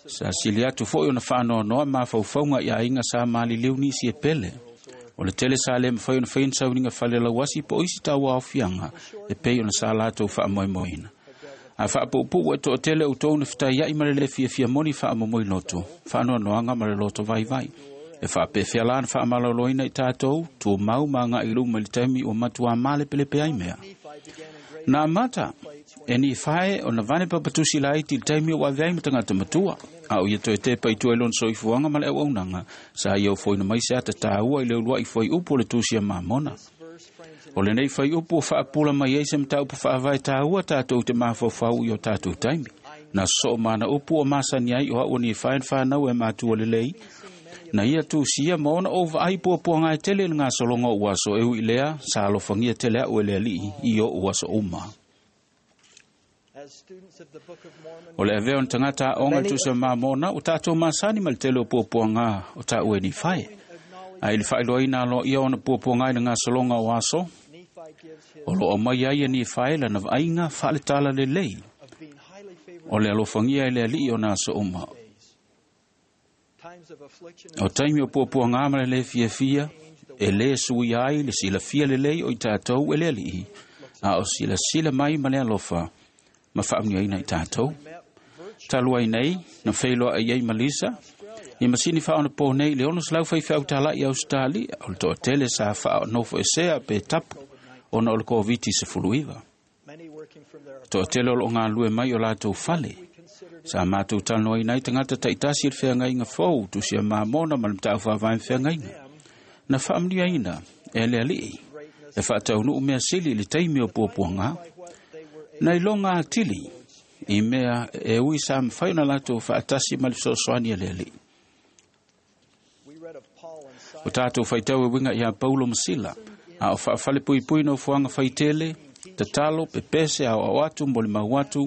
Sa sili atu fo'i ona faanoanoa mafaufauga i aiga sa maliliu nisi e pele. O le tele sa lē mafai ona faia ni sauniga falelauasi po o isi tauaofiaga e pei ona sa latou faamoemoeina. A faapuupuu e toatele outou na fetaia'i ma le lē fiafia moni faamomoi loto, faanoanoaga ma le loto vaivai. E faapefea la na faamaloloina i tatou, tumau ma aga'i i luma i le taimi ua matuā malepelepe ai mea. Na amata e Nifae o na vane papatusi laiti i le taimi o ave ai ma tagata matua, a o ia toe tepa i tua i lona soifuaga ma le auaunaga sa ia ofoina mai se ata tāua i le ulua'i fuaiupu o le tusi a Mamona. O lenei fuaiupu ua faapula mai ai se mataupu faavae tāua tatou te mafaufau i o tatou taimi. Na sosoo ma ana upu o masani ai o a'u o Nifae na fanau e matua lelei, na ia tusia ma ona ou vaai puapuaga e tele i le gasologa o aso e ui lea sa alofagia tele a'u e le Ali'i i o'u aso uma. O le avea o na tagata aoga i tusi a Mamona ua tatou masani ma le tele o puapuaga o ta'u e Nifae. Ae i le faailoaina aloaia ona puapuaga i le gasologa o aso, o loo mai ai e Nifae lana vaaiga faaletala lelei o le alofagia e le Ali'i o na aso uma. O taimi o puapuaga ma le lē fiafia e lē suia ai le silafia lelei o i tatou e le Ali'i, a o silasila mai ma le alofa ma faamuniaina i tatou. Talu ai nei na feiloa'i ai ma Lisa i masini faaonapō nei i le ono selau faifeau tala'i Ausetalia o le toatele sa faaonofoesea pe tapu ona o le Koviti sefuluiva. Toatele o loo galulue mai o latou fale. Sa matou talanoaina ai tagata taitasi i le feagaiga fou tusi a Mamona ma le mataupu faavae ma feagaiga. Na faamanuiaina e le Ali'i e faataunuu mea sili i le taimi o puapuaga. Na iloga atili i mea e ui sa mafai ona latou faatasi ma le fesoasoani a le Ali'i. O tatou faitau e uiga iā Paulo ma Sila, a o faafalepuipui nofoaga faitele, tatalo, pepese aoao atu mo le mau atu,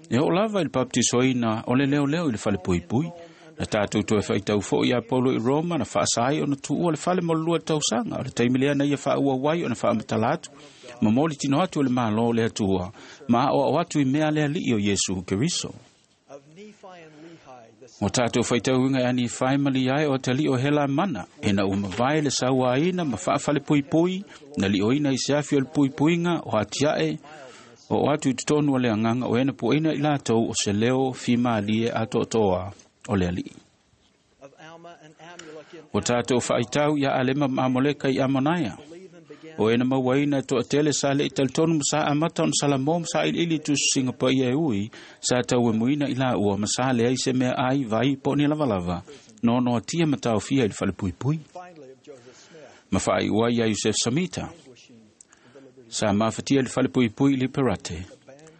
e oo lava i le papatisoina o le leoleo i le falepuipui. Na tatou toe faitau foi iā Paulo i Roma na faasa ai ona tuua le fale mo le lua tausaga, o le taimi lea na ia faaauau ai ona faamatala atu, ma mo le tino atu o le Mālō o le Atua, ma aoao atu i mea a le Ali'i o Iesu Keriso. O tatou faitauina e Nifae ma Liai o atalii o Helamana, ina ua mavae le sauaina ma faafalepuipui, na li'oina i se afi o le puipuiga o atia'e o atu i totonu o le agaga o ena puaina i latou o se leo fimalie atoatoa o le Ali'i. O tatou faitau ia Alema ma Amoleka i Amonaia, o ena mauaina e toatele sa le'i talitonu ma sa amata ona salamo ma sailiili i tusisiga paia e ui sa tauemuina i laua ma sa leai se mea ai vai po o ni lavalava noanoatia ma taofia i le falepuipui. Ma faaiu ai ia Iosef Samita sa mafatia i le falepuipui i Liberate,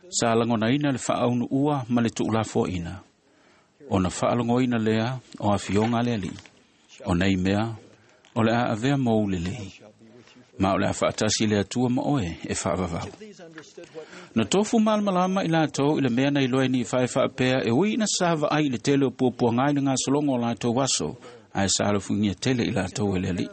sa lagonaina le faaunuua ma le tuulafoaina ona faalogoina lea o afioga a le Ali'i. O nei mea o le a avea mou lelei, ma o le a faatasi le Atua ma oe e faavavau. Na tofu malamalama i latou i le mea na iloa e Nifae faapea e ui ina sa vaai i le tele o puapuaga i le gasologa o latou aso, ae sa alofagia tele i latou e le Ali'i.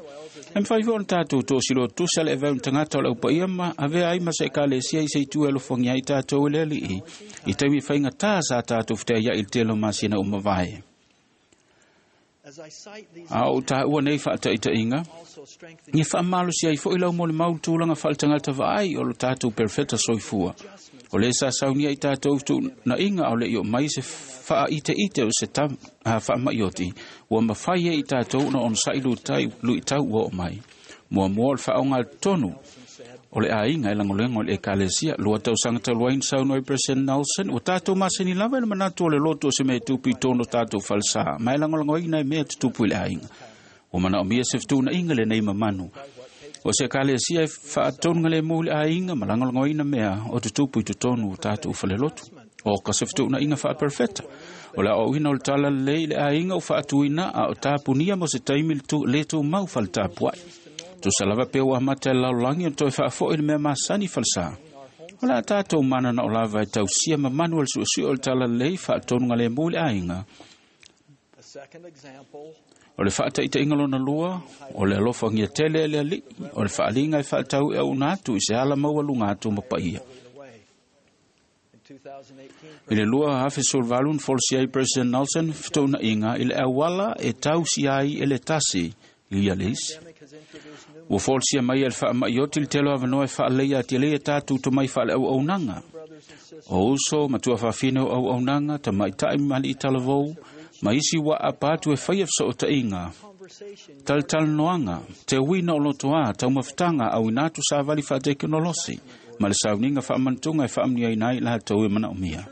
E mafai foi ona tatou toasiloa tusa le avea o tagata o le aupaia ma avea ai ma se ekalesia i se itu e alofagia ai tatou e le Ali'i i taimi faigata sa tatou feteaia'i i le tele o masina uma vae. A o taua nei faataitaiga, ia faamalosi ai foi lau molimau tulaga faaletagata vaai o lo tatou perofeta soifua. O le sa saunia i tatou tuunaiga o le i o mai se faaiteite o se tam, a faamaioti, ua mafai ai i tatou ona onosa'i lutai, luitau ua oo mai. Muamua o le faaoga tonu o le aiga e lagolago i le ekalesia. Lua tausaga talu ai na saunoa ai President Nelson, ua tatou masani lava i le manatu o le lotu o se mea e tupu i totonu o tatou falesa, ma e lagolagoina e mea tutupu i le aiga. Ua manaomia se fetuunaiga lenei mamanu. O se ekalesia e faatonugalemu i le aiga ma lagolagoina mea o tutupu i totonu o tatou falelotu. O ka se fetuunaiga faaperefeta. O le aoaoina o le tala lelei i le aiga o faatuina a o tapunia mo se taimi le tumau faletapuai. Tusa lava pe ua amata e le lalolagi ona toe faafo'i le mea masani falesa. O le a tatou mananao lava e tausia mamanu o le suesue o le tala lelei faatonugalemu i le aiga. O le faataitaiga lona lua, o le alofagia tele e le Ali'i, o le faaliga e faatau e auna atu i se ala maualuga atu ma paia. I le lua afe sefuluvalu na folasia ai President Nelson fetuunaiga i le auala e tausia ai e le tasi ia le isi. Ua folasia mai e le faamaioti le tele o avanoa e faaleleia atili ai a tatou tomai faaleauaunaga. O uso ma tuafafine o auaunaga, tamaita'i ma ali'i talavou, ma isi ua aapa atu e faia fesootaiga, talatalanoaga, teuina o lotoā, taumafataga, auina atu savali faatekonolosi, Ma le sauniga faamanatuga e faamanuiaina ai i latou e manaomia.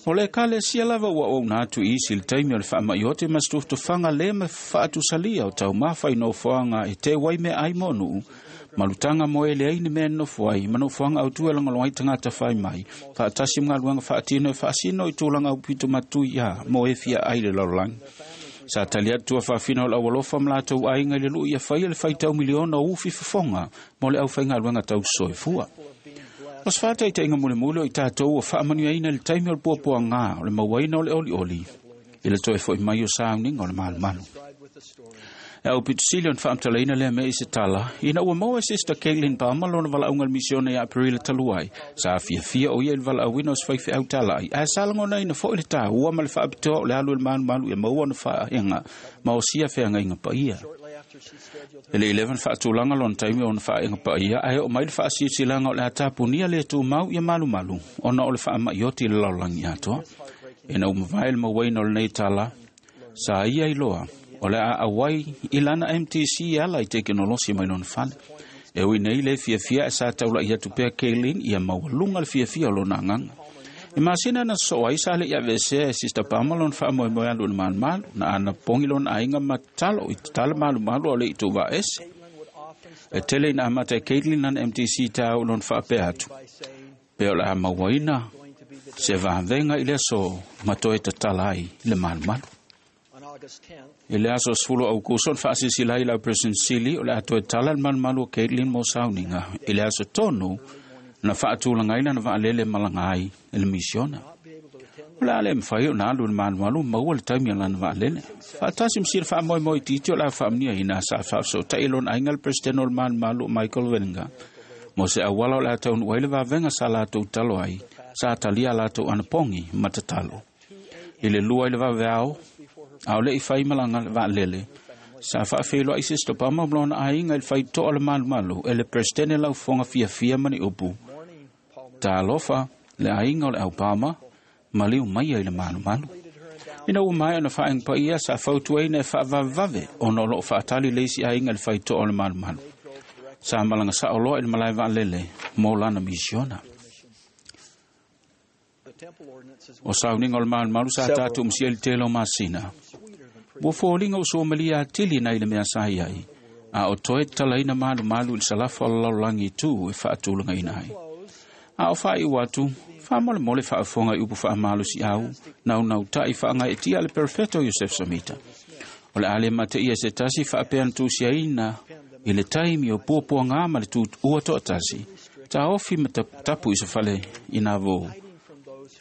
O le ekalesia lava ua ouna atu i isi i le taimi o le faama'i ote ma se tufatufaga lē ma faatusalia o taumafa i nofoaga e teu ai meaai mo nuu malutaga mo e leai ni mea e nonofo ai ma nofoaga autū e lagolago ai tagata fai mai faatasi ma galuega faatino e faasino i tulaga aupito matuiā mo e fia ai le lalolagi. Sa tali atu tua faafina o le aualofa ma latou aiga i le lu'i ia faia le faitau miliona o ufi fofoga mo le aufaigaluega tausoifua. O se faataitaiga mulimuli o i tatou ua faamanuiaina i le taimi o le puapuagā o le mauaina o le olioli i le toe fo'i mai o sauniga o le malumalu. E au pitusili ona faamatalaina lea mea i se tala ina ua maua e Sister Caitlin Palmer lona valaauga i le misiona ia Aperila talu ai. Sa fiafia o ia i le valaauina o se faifeau tala'i ae sa lagonaina fo'i le tāua ma le faapitoa o le alu i le malumalu ia maua ona faaega ma osia feagaiga paia. E le i leva na faatulaga lona taimi o ona faaega paia ae oo mai le faasilasilaga o le a tapunia le tumau ia malumalu ona o le faama'i oti i le lalolagi atoa. Ina ua mavae le mauaina o lenei tala, sa ia iloa o le a auai i lana M T C e ala i tekenolosi mai lona fale. E ui nei le fiafia e sa taula'i atu pea Kaylin ia maualuga le fiafia o lona agaga. E masina na sosoo ai sa le'i aveesea e Sister Palmer lona faamoemoe alu i le malumalu, na anapogi lona aiga ma tatalo i tatala malumalu ao le'i tuuvaaese. E tele ina amata e Caitlin lana M T C tāu lona faapea atu. Pe o le a mauaina se vavega i le aso ma toe tatala ai le malumalu. I le aso sefulu o Aukuso na faasilasila ai lau President Sili o le a toe tala le malumalu o Caitlin mo sauniga. I le aso tonu na faatulagaina na vaalele malaga ai i le misiona. O le a le mafai ona alu i le malumalu maua le taimi o lana vaalele. Faatasi ma sila faamoemoe itiiti o le a faamanuiaina sa faafesootai lona aiga le President o le malumalu o Michael Weninger. Mo se auala o le a taunuu ai le vavega sa latou talo ai, sa talia latou anapogi ma tatalo. I le lua i le vaveao, a o le'i fai malaga le vaalele, sa faafeiloai Sister Palmer ma lona aiga i le faitoa o le malumalu e le Presidente laufofoga fiafia ma ni upu. Talofa le aiga o le au Palmer, maliu maia i le malumalu. Ina ua maea ona faaega paia sa fautuaina e faavavevave ona o loo faatali le isi aiga i le faitoa o le malumalu. Sa malaga sao loa i le malae vaalele mo lana misiona. O sauniga o le malumalu sa tatou masia i le tele o masina. Ua foliga ua suamalia atili nai le mea sa i ai, a o toe tatalaina malumalu i le salafa o le lalolagi i tū e faatulagaina ai. A o faaiu atu, faamolemole faafofoga i upu faamalosiau, naunautai faagaeetia le Perfeto Iosef Samita. O le a le mateia se tasi faapea na tusiaina i le taimi o puapuagā ma le tutua toatasi, taofi ma taputapu i se fale i nā vou.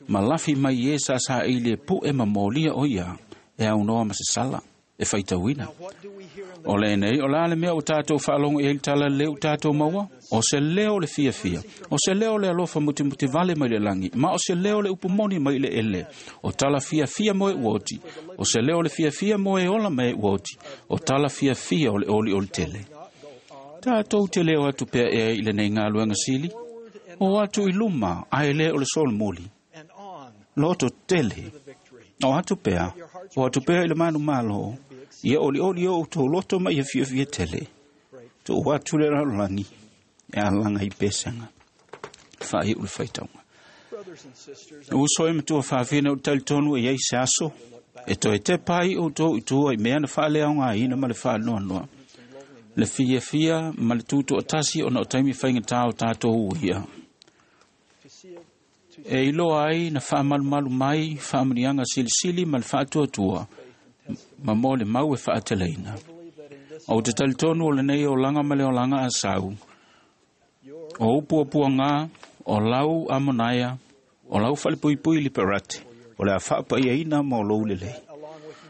Ma lafi mai e sa sa i le pu'e ma molia o ia e aunoa ma se sala e faitauina. O le nei, o la le mea o tātou faalogo i ai le tala leu tātou maua, o se leo le fiafia, o se leo le alofa mutimuti vale mai le lagi, ma o se leo le upu moni mai le ele, o tala fiafia mo e uoti, o se leo le fiafia mo e ola mai e uoti, o tala fiafia o le oli o le tele. Tātou te leo atu pea e i lenei galuega sili, o atu i luma ae le o le solomuli. Loto tele, o atu pea, o atu pea i le malumalo, ia olioli o tō loto ma ia fiafia tele. Tō atu le lalolagi, e alaga i pesega. Faaiu le faitauga. Uso e matua faafina o le talitonu e iai se aso, e toe tepa ai outou i tua i mea na faaleaogaina ma le faanoanoa. Le fiafia ma le tutoatasi ona o taimi faigatā o tatou uia. E iloa ai na faamalumalu mai faamanuiaga silisili ma le faatuatua ma mo le mau e faateleina. O te talitonu o lenei olaga ma le olaga a sau, o upuapuagā, o lau amonaia, o lau falepuipui liperate, o le a faapaiaina ma o lou lelei.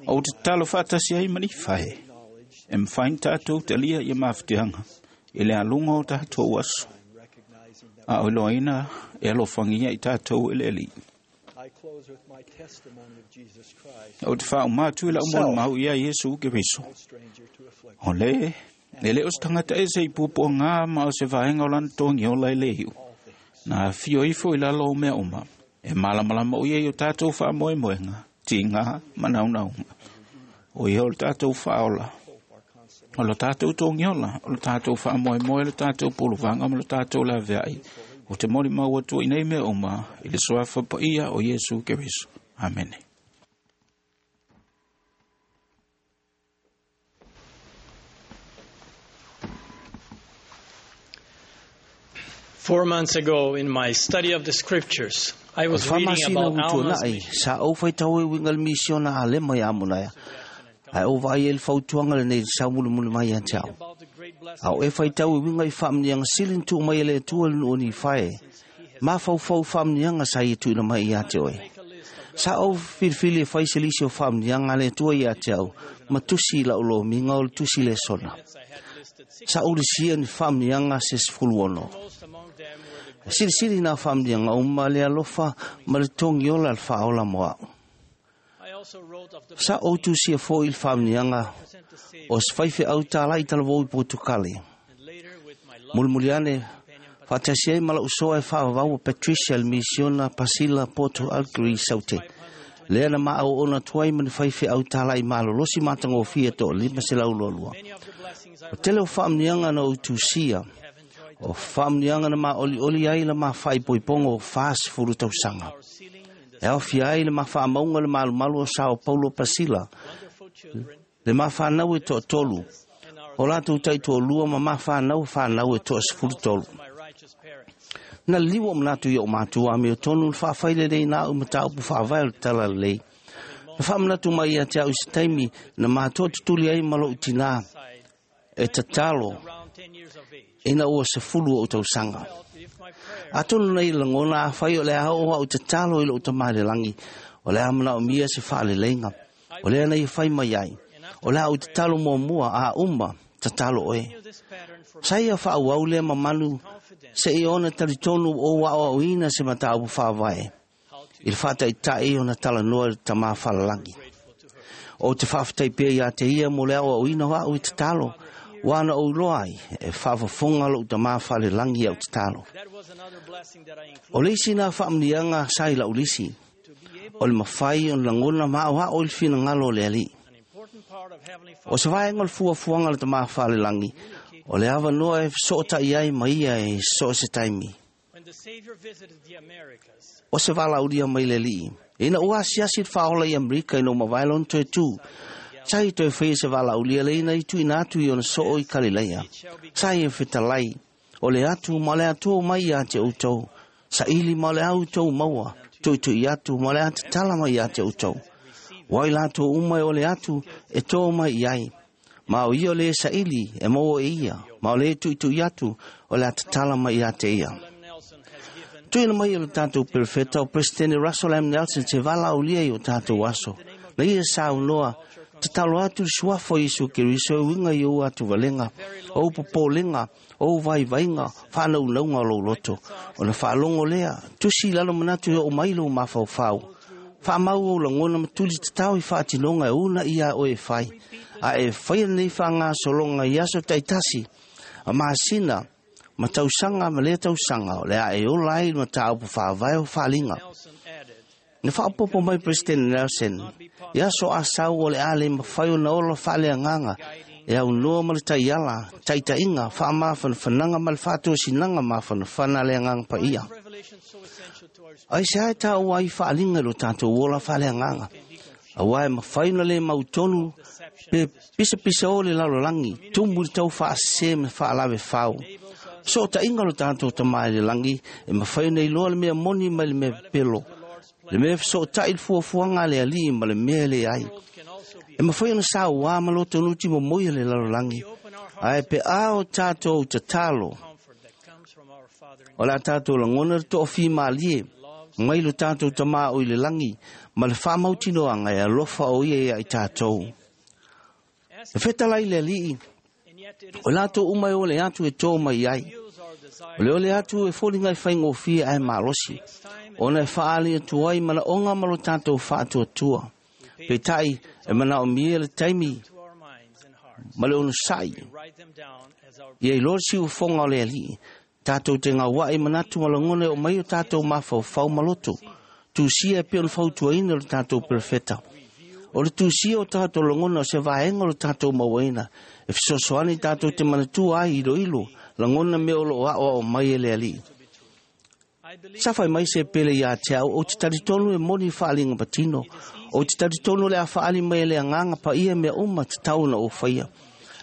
O te tatalo faatasi ai ma Nifae, e mafai ona tatou talia ia mafatiaga i le aluga o tatou aso, a o iloaina e alofagia i tatou e le Alii. O te faauma atu i lau molimau ia Iesu Keriso. O le, e le o se tagata ese i puapuagā ma o se vaega o lana togiola e le iu. Na afio ifo i lalo o mea uma, e malamalama o ia i o tatou faamoemoega, tigā ma naunauga. O ia o le tatou faaola, o le tatou togiola, o le tatou faamoemoe, le tatou puluvaga ma le tatou laveai, O te moli mau atua i nei mea uma i le suafa paia o Iesu Keriso. Amene. Four months ago, in my study of the scriptures, I was reading about Alma's mission. Sa au faitau e uiga le misiona a Alema ia Amonaia. Ae ou vaai ai le fautuaga lenei i le saumulimuli mai ia te au. A o e faitau e uiga i faamanuiaga sili na tuu mai e le Atua i le nuu o Nifae, mafaufau i faamanuiaga sa ia tuuina mai ia te oe. Sa ou filifili e fai se lisi o faamanuiaga a le Atua ia te au, ma tusi i lau lomiga o le tusi lesona. Sa ou lisia ni faamanuiaga se sefulu ono. Silisili nā faamanuiaga uma le alofa ma le togiola le faaola mo au. Sa ou tusia foi i le faamanuiaga o se faifeau tālai talavou i Portucale. Mulimuli ane, faatasi ai ma lau soa e faavavau o Patricia le misiona Pasila Porto Alegre Saute. Lea na maauoona atu ai ma ni faifeau tālai malolosi matagofie toalima selau lualua. O tele o faamanuiaga na ou tusia, o faamanuiaga na maolioli ai le mafaaipoipoga o fasefulu tausaga. E aofia ai le mafaamauga le malumalu o Sao Paulo Pasila, le mafanau e toatolu, o latou taitoalua ma mafanau fanau e toasefulu tolu. Na liliu o manatu i o matua a mea tonu le faafailelei na au mataupu faavae o le talalelei. Na faamanatu mai ia te au i se taimi na matoa tutuli ai ma lou tinā e tatalo ina ua sefulu o tausaga. Atonu nei lagona afai o le a oo au tatalo i lou Tama i le lagi, o le a manaomia se faaleleiga, o lea na ia fai mai ai, o le a ou tatalo muamua a uma tatalo oe. Sa ia faaauau lea mamanu seia ona talitonu ou aoaoina se mataupu faavae i le faataitai ona talanoa i le Tama falalagi. O te faafetai pea ia te ia mo le aoaoina o au i tatalo, ua na ou iloa ai e faafofoga lou Tama falelagi au tatalo. O le isi na faamanuiaga sa i lau lisi, o le mafai ona lagona ma aoao i le finagalo o le Alii. O se vaega o le fuafuaga a le Tama falelagi, o le avanoa e fesootai ai ma ia e so o se taimi. O se valaaulia mai le Alii, ina ua asiasi le faaola i Amerika ina ua mavae lona toe tu, sa ia toe faia se valaaulia lea ina ia tuuina atu i ona soo i Kalilaia. Sa ia fetalai, o le atu ma o le Atua mai ia te outou, saili ma o le a outou maua, tuitui atu ma o le a tatala mai ia te outou. Ua i latou uma e o le atu e tō mai i ai. Ma o ia o le saili e maua e ia, ma o le tuitui atu o le a tatala mai ia te ia. Tuuina mai e le tatou perofeta o Presidente Russell M. Nelson se valaaulia i o tatou aso. Na ia saunoa, tatalo atu le suafa o Iesu Keriso e uiga i ou atuvalega, ou popolega, ou vaivaiga, faanaunauga o lou loto. Ona faalogo lea, tusi i lalo manatu e oo mai lou mafaufau. Faamau ou lagona ma tuli tatao i faatinoga e una ia oe e fai. A e faia lenei faagasologa i aso taitasi, a masina, ma tausaga ma lea tausaga, o le a e ola ai le mataupu faavae o faaliga. Na faaopoopo mai President Nelson, i aso asau o le a le mafai ona ola faaleagaga e aunoa ma le taiala, taitaiga, faamafanafanaga ma le faatosinaga mafanafana a le Agaga Paia. Ai se ae taua ai faaliga i lo tatou ola faaleagaga, auā e mafai ona le mautonu pe pisapisa o le lalolagi, tumu i le tau faasese ma faalavefau. Sootaiga o lo tatou Tama i le lagi e mafai ona iloa le mea moni mai le mea pepelo, le mea fesootai i le fuafuaga a le Alii ma le mea e leai. E mafai ona sauā ma lotonuti momoi a le lalolagi, ae pe a o tatou tatalo, o le a tatou lagona le toafimalie mai lo tatou Tama o i le lagi ma le faamautinoaga e alofa o ia ia i tatou. E fetalai le Alii, o latou uma e ole atu e tō mai ai. O le ole atu e foliga e faigofie ae malosi, ona e faaali atu ai manaoga ma lo tatou faatuatua. Peitai e manaomia le taimi ma le onosai. Ia iloa le siufofoga o le Alii, tatou te gauai manatu ma lagona e oo mai o tatou mafaufau ma loto. Tusia e pei ona fautuaina le tatou perofeta. O le tusia o tatou lagona o se vaega o le tatou mauaina, e fesoasoani tatou te manatua ai iloilo lagona mea o loo aoao mai e le Alii. Sa fai mai se pele ia te au o te talitonu e moni whaalinga patino. O te talitonu le a whaali mai le anganga pa ia mea uma te tau na o whaia.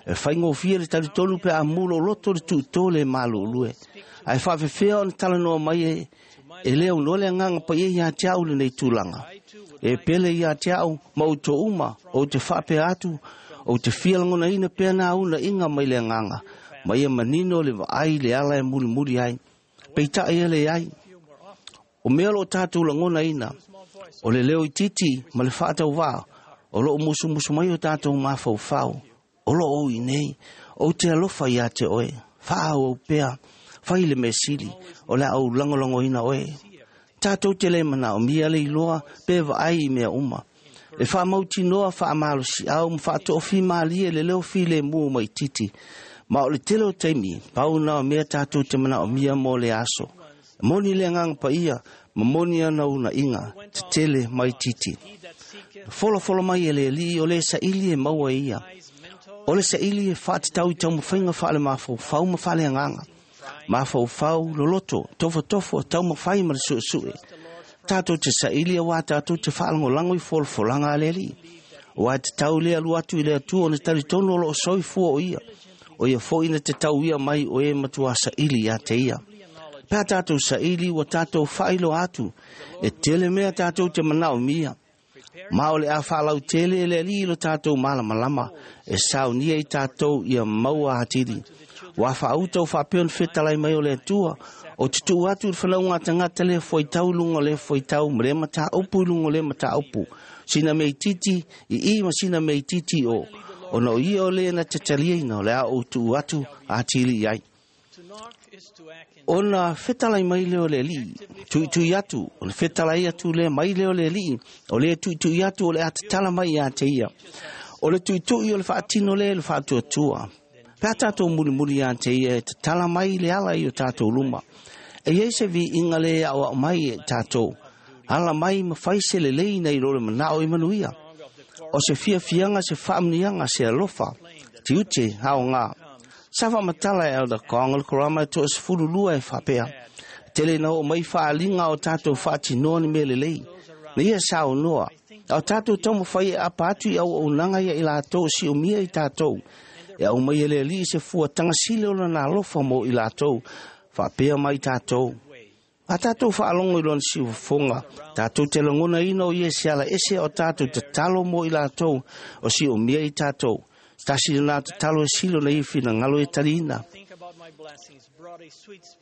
E whaingofia le talitonu pe a mulo loto le tuito le malulue. Ai whaafewhea o na talanoa mai e, e leo no le anganga pa ia ia te au le nei tūlanga. E pele ia te au ma o tō uma o te whaapea atu o te fialangona ina pea nā una inga mai le anganga. Mai e manino le vaai le ala e muri muri ai. Peita e le ai. O mea lo tātou langona ina. O le leo i titi ma le whaatau wā. O lo o musu musu mai o tātou mawhau whau. O lo o i nei. O te alofa ia te oe. Whaau au pea. Whai le mesili. O le au langolango ina oe. Tātou te le mana o mia le iloa pe vaai i mea uma. E whaamautinoa whaamalosi au ma whaatofi malie le leo file mua mai titi. Ma o le tele o taimi, pau na o mea tātou te mana o mia mō le aso. Moni le nganga pa ia, ma moni ana una inga, te tele mai titi. Folo folo mai e le li o le saili e maua ia. O le saili e whaatatau i taumawhainga whaale mawhau ma whaale nganga. Mawhau whau, loloto, tofo tofo, taumawhai ma le suesue. Tātou te saili a wā tātou te whaalangolango i folofolanga a le li. O a te tau lea luatu i le atua o ne talitonu o lo o soifua o ia. O ia fo ina te tau ia mai o e matua saili ia te ia. Pea tātou saili wa tātou whailo atu. E tele mea tātou te manao mia. Ma o le a whaalau tele e le ali lo tātou malamalama. E saunia i tātou ia maua hatiri. Wa whaauta o whapeon whetalai mai o le atua. O te tuu atu le whanaunga tangata le foitau lunga le foitau ma le mata upu lunga le mata upu. Sina mei titi i i ma sina mei titi o. O no ia o le na te taliaina o le a o tuu atu a tili ai. Ona whetalai mai leo le li, tui tui atu, o le whetalai atu le mai leo le li, o le tui tui atu o le atatala mai a te ia. O le tui tui o le whaatino le le whaatuatua. Pea tātou muri muri a te ia e tatala mai le ala i o tātou luma. E iei se vi inga le au au mai e tātou. Ala mai ma whaise le leina i rore manao i manuia. O se fia fianga se whaamnianga se alofa. Te ute hao ngā. Safa matala e alda konga le korama e toa sefulu lua e whapea. Tele na o mai whaalinga o tātou whaatinoa ni mele lei. Na ia sao noa. Au tātou taumu whai e apa atu i au au nanga ia i lātou si o mia i tātou. E au mai ele li se fua tangasile o na alofa mo i lātou. Whapea mai tātou. A tātou whaalongo i lona si ufonga. Tātou te langona ina o ia se ala ese o tātou te talo mo i lātou o si o mia i tātou. Tasi nā te talo e silo na i whina ngalo e tarina.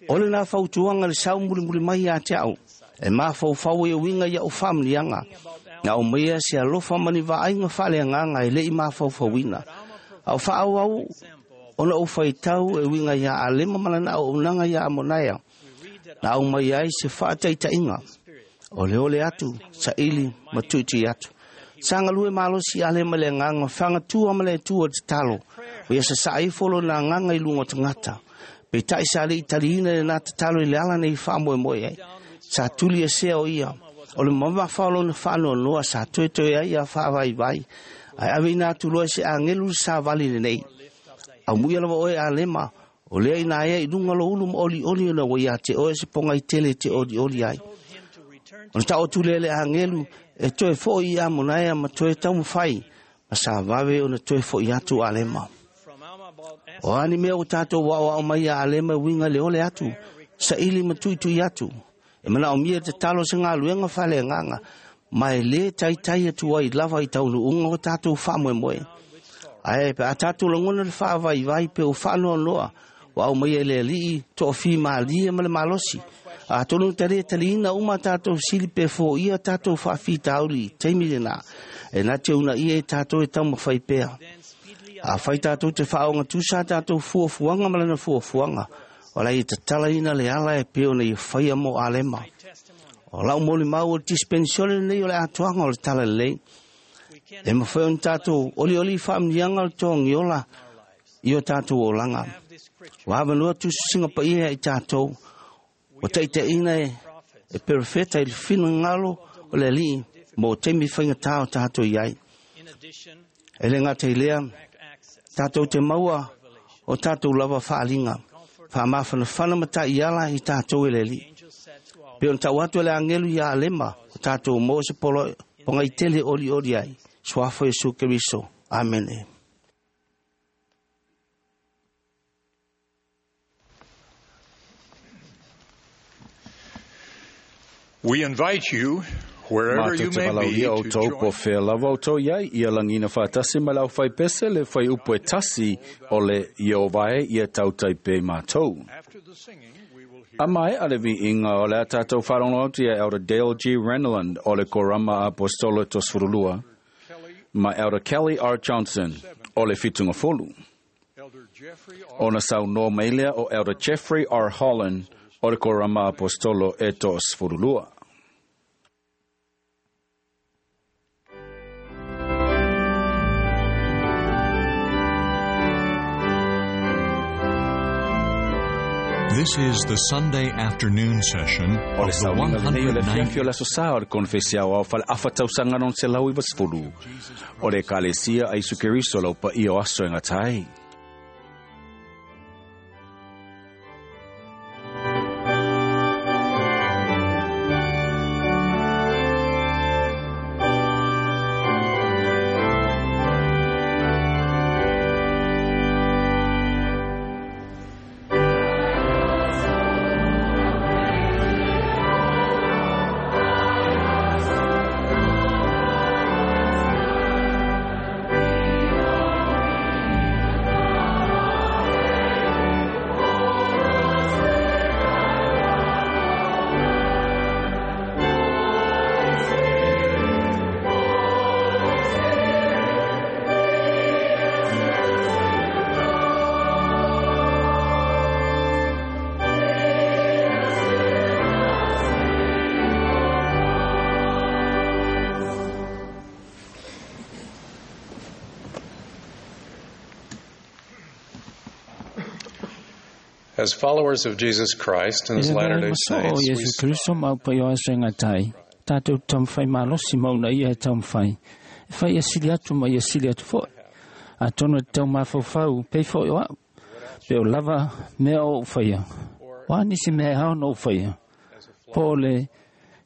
O le nā whautuanga le sau muri muri mai a te au. E mā whau e winga ia o whamnianga. Ngā o maia se alofa mani vaaiga whale nganga e lei mā whauwhauina. Au whaau au ona o whaitau e winga ia a lema malana o unanga ia a monaia. Nā au mai ai se whaataitainga. O le ole atu, sa ili matuiti atu. Sanga lue malosi ale ma le nganga, whanga tua ma le tua te talo. O ia sa saifolo nā nganga i lunga tangata. Pe tai sa le italiina le nā te talo i le ala nei wha moe moe ai. Sa tuli e sea o ia. O le mama whaolo na whanoa noa sa toe toe ai a wha vai vai. Ai ave ina atu loa se angelu sa vali le nei. Au muia lava oe a lema. O lea ina ea i lunga lo ulu ma oli oli ona wa ia te oe se ponga i tele te oli oli ai. Ona tau atu le le angelu e toe fo i a monaia ma toe taumawhai. Ma sa wawe ona toe fo i atu a lema. O ani mea o tātou wao au mai a lema winga le ole atu. Sa ili ma tui tui atu. E mana o mia te talo se ngā luenga whale nganga. Mai le tai tai atu ai lava i taunu unga o tātou wha moe moe. Ae pe a tātou langona le wha vai vai pe o whanoa noa. Wao mai e le lii to o malia ma le malosi. A tonu tare taliina uma tātou sili pe fo ia tātou whawhi tauri teimi le nā. E nā te una ia e tātou e taumawhai pea. A whai tātou te whaonga tūsa tātou fuafuanga malana fuafuanga. O lai e tatala ina le ala e peo nei whaia mo alema. O lau moli mau o dispensione nei o le atuanga o le tala lei. E mawhai on tātou oli oli whaamnianga o le toa i o tātou o langa. Wa noa tusinga pa ia i tātou. O teite ina e, e perfeta i le whina ngalo o le li mo temi whainga tā o tātou iai. E le ngā te lea, tātou te maua o tātou lava whaalinga. Wha mawhana whana mata i ala i tātou e le li. Pe ona tau atu e le agelu ia Alema, o tatou maua se pogaitele olioli ai. Suafa Iesu Keriso. Amene. We invite you, wherever you may be, to join. Po fea lava o tau iai, ia langina whaatasi ma lau whai pese le whai upu e tasi o le Iovae ia tautai pe mātou. A mai a le vi inga o le a tātou wharongo atu ia Elder Dale G. Renlund o le Korama Apostolo Tosfurulua, ma Elder Kelly R. Johnson o le Fitunga Folu. Ona sau no mailea o Elder Jeffrey R. Holland o le Korama Apostolo e Tosfurulua. This is the Sunday afternoon session of the one hundred ninety. O le aso o le konfesiao au fale afatausaga non se lau i vasifulu. O le ekalesia a Iesu Keriso lau paia o aso e gatai. As followers of Jesus Christ and his Latter-day Saints, we Kristo mau pa yo aso nga tai. Tātou taumawhai malosi mauna ia e taumawhai. E whai asili atu ma ia asili atu foi. A tono e tau mawhauwhau, pei foi o au. Pe o lava mea o uwhaia. Wa nisi mea hao no uwhaia. Po le,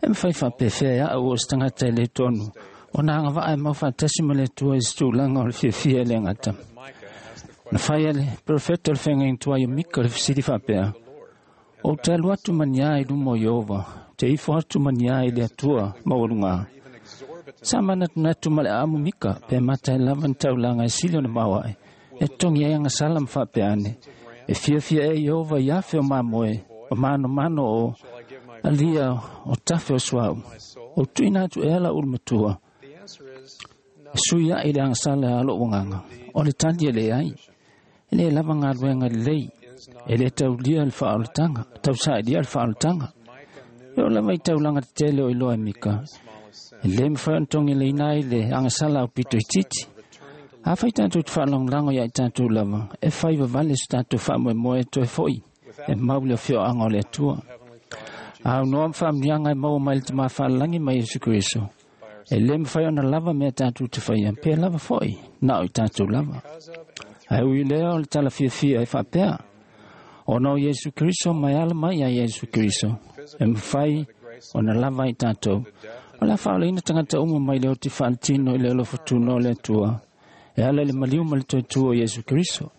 e mwhai whapewhea au o stangata le tonu. O nā ngā waa e mauwhatasi ma le tua i stūlanga o le fiafia le ngata. Na whai ale, profeta le whenga intua i mika le fisiri whapea. O te alu atu mania i lumo Iova, te ifo atu mania i le atua maurunga. Sa mana natu ma le amu mika, pe mata e lava taulanga e sili o na maua e. E tongi e anga salam whapea ane. E fiafia e Iova i afe o mamoe, o mano mano o alia o tafe o suau. O tuina atu e ala ulmatua. E sui a i le anga sala alo wanganga. O le tali e le ai. E le lava ngā luenga lei. E le taulia le whaolatanga. Tau saelia le whaolatanga. E o lava i taulanga te tele o iloa e mika. E le mwhai ontongi le inai le angasala au pito i titi. A whai tātou te whaalanglango ia i tātou lava. E whai wawale se tātou whaamoe moe toe foi. E mauli o whio anga o le atua. A unoa mwhaamnianga e maua mai le te mawhaalangi mai Yesu Kristo. E le mwhai ona lava mea tātou te whaia. Pe lava foi, nao i tātou lava. Ai ui lea o le tala fiafia e whapea. O no Yesu Kristo mai ala mai a Yesu Kristo. E mwhai ona lava i tātou. O la whaoleina tangata uma mai leo te whaalitino i leo lofotuno o le atua. E ala le maliu ma le toetua o Yesu Kristo.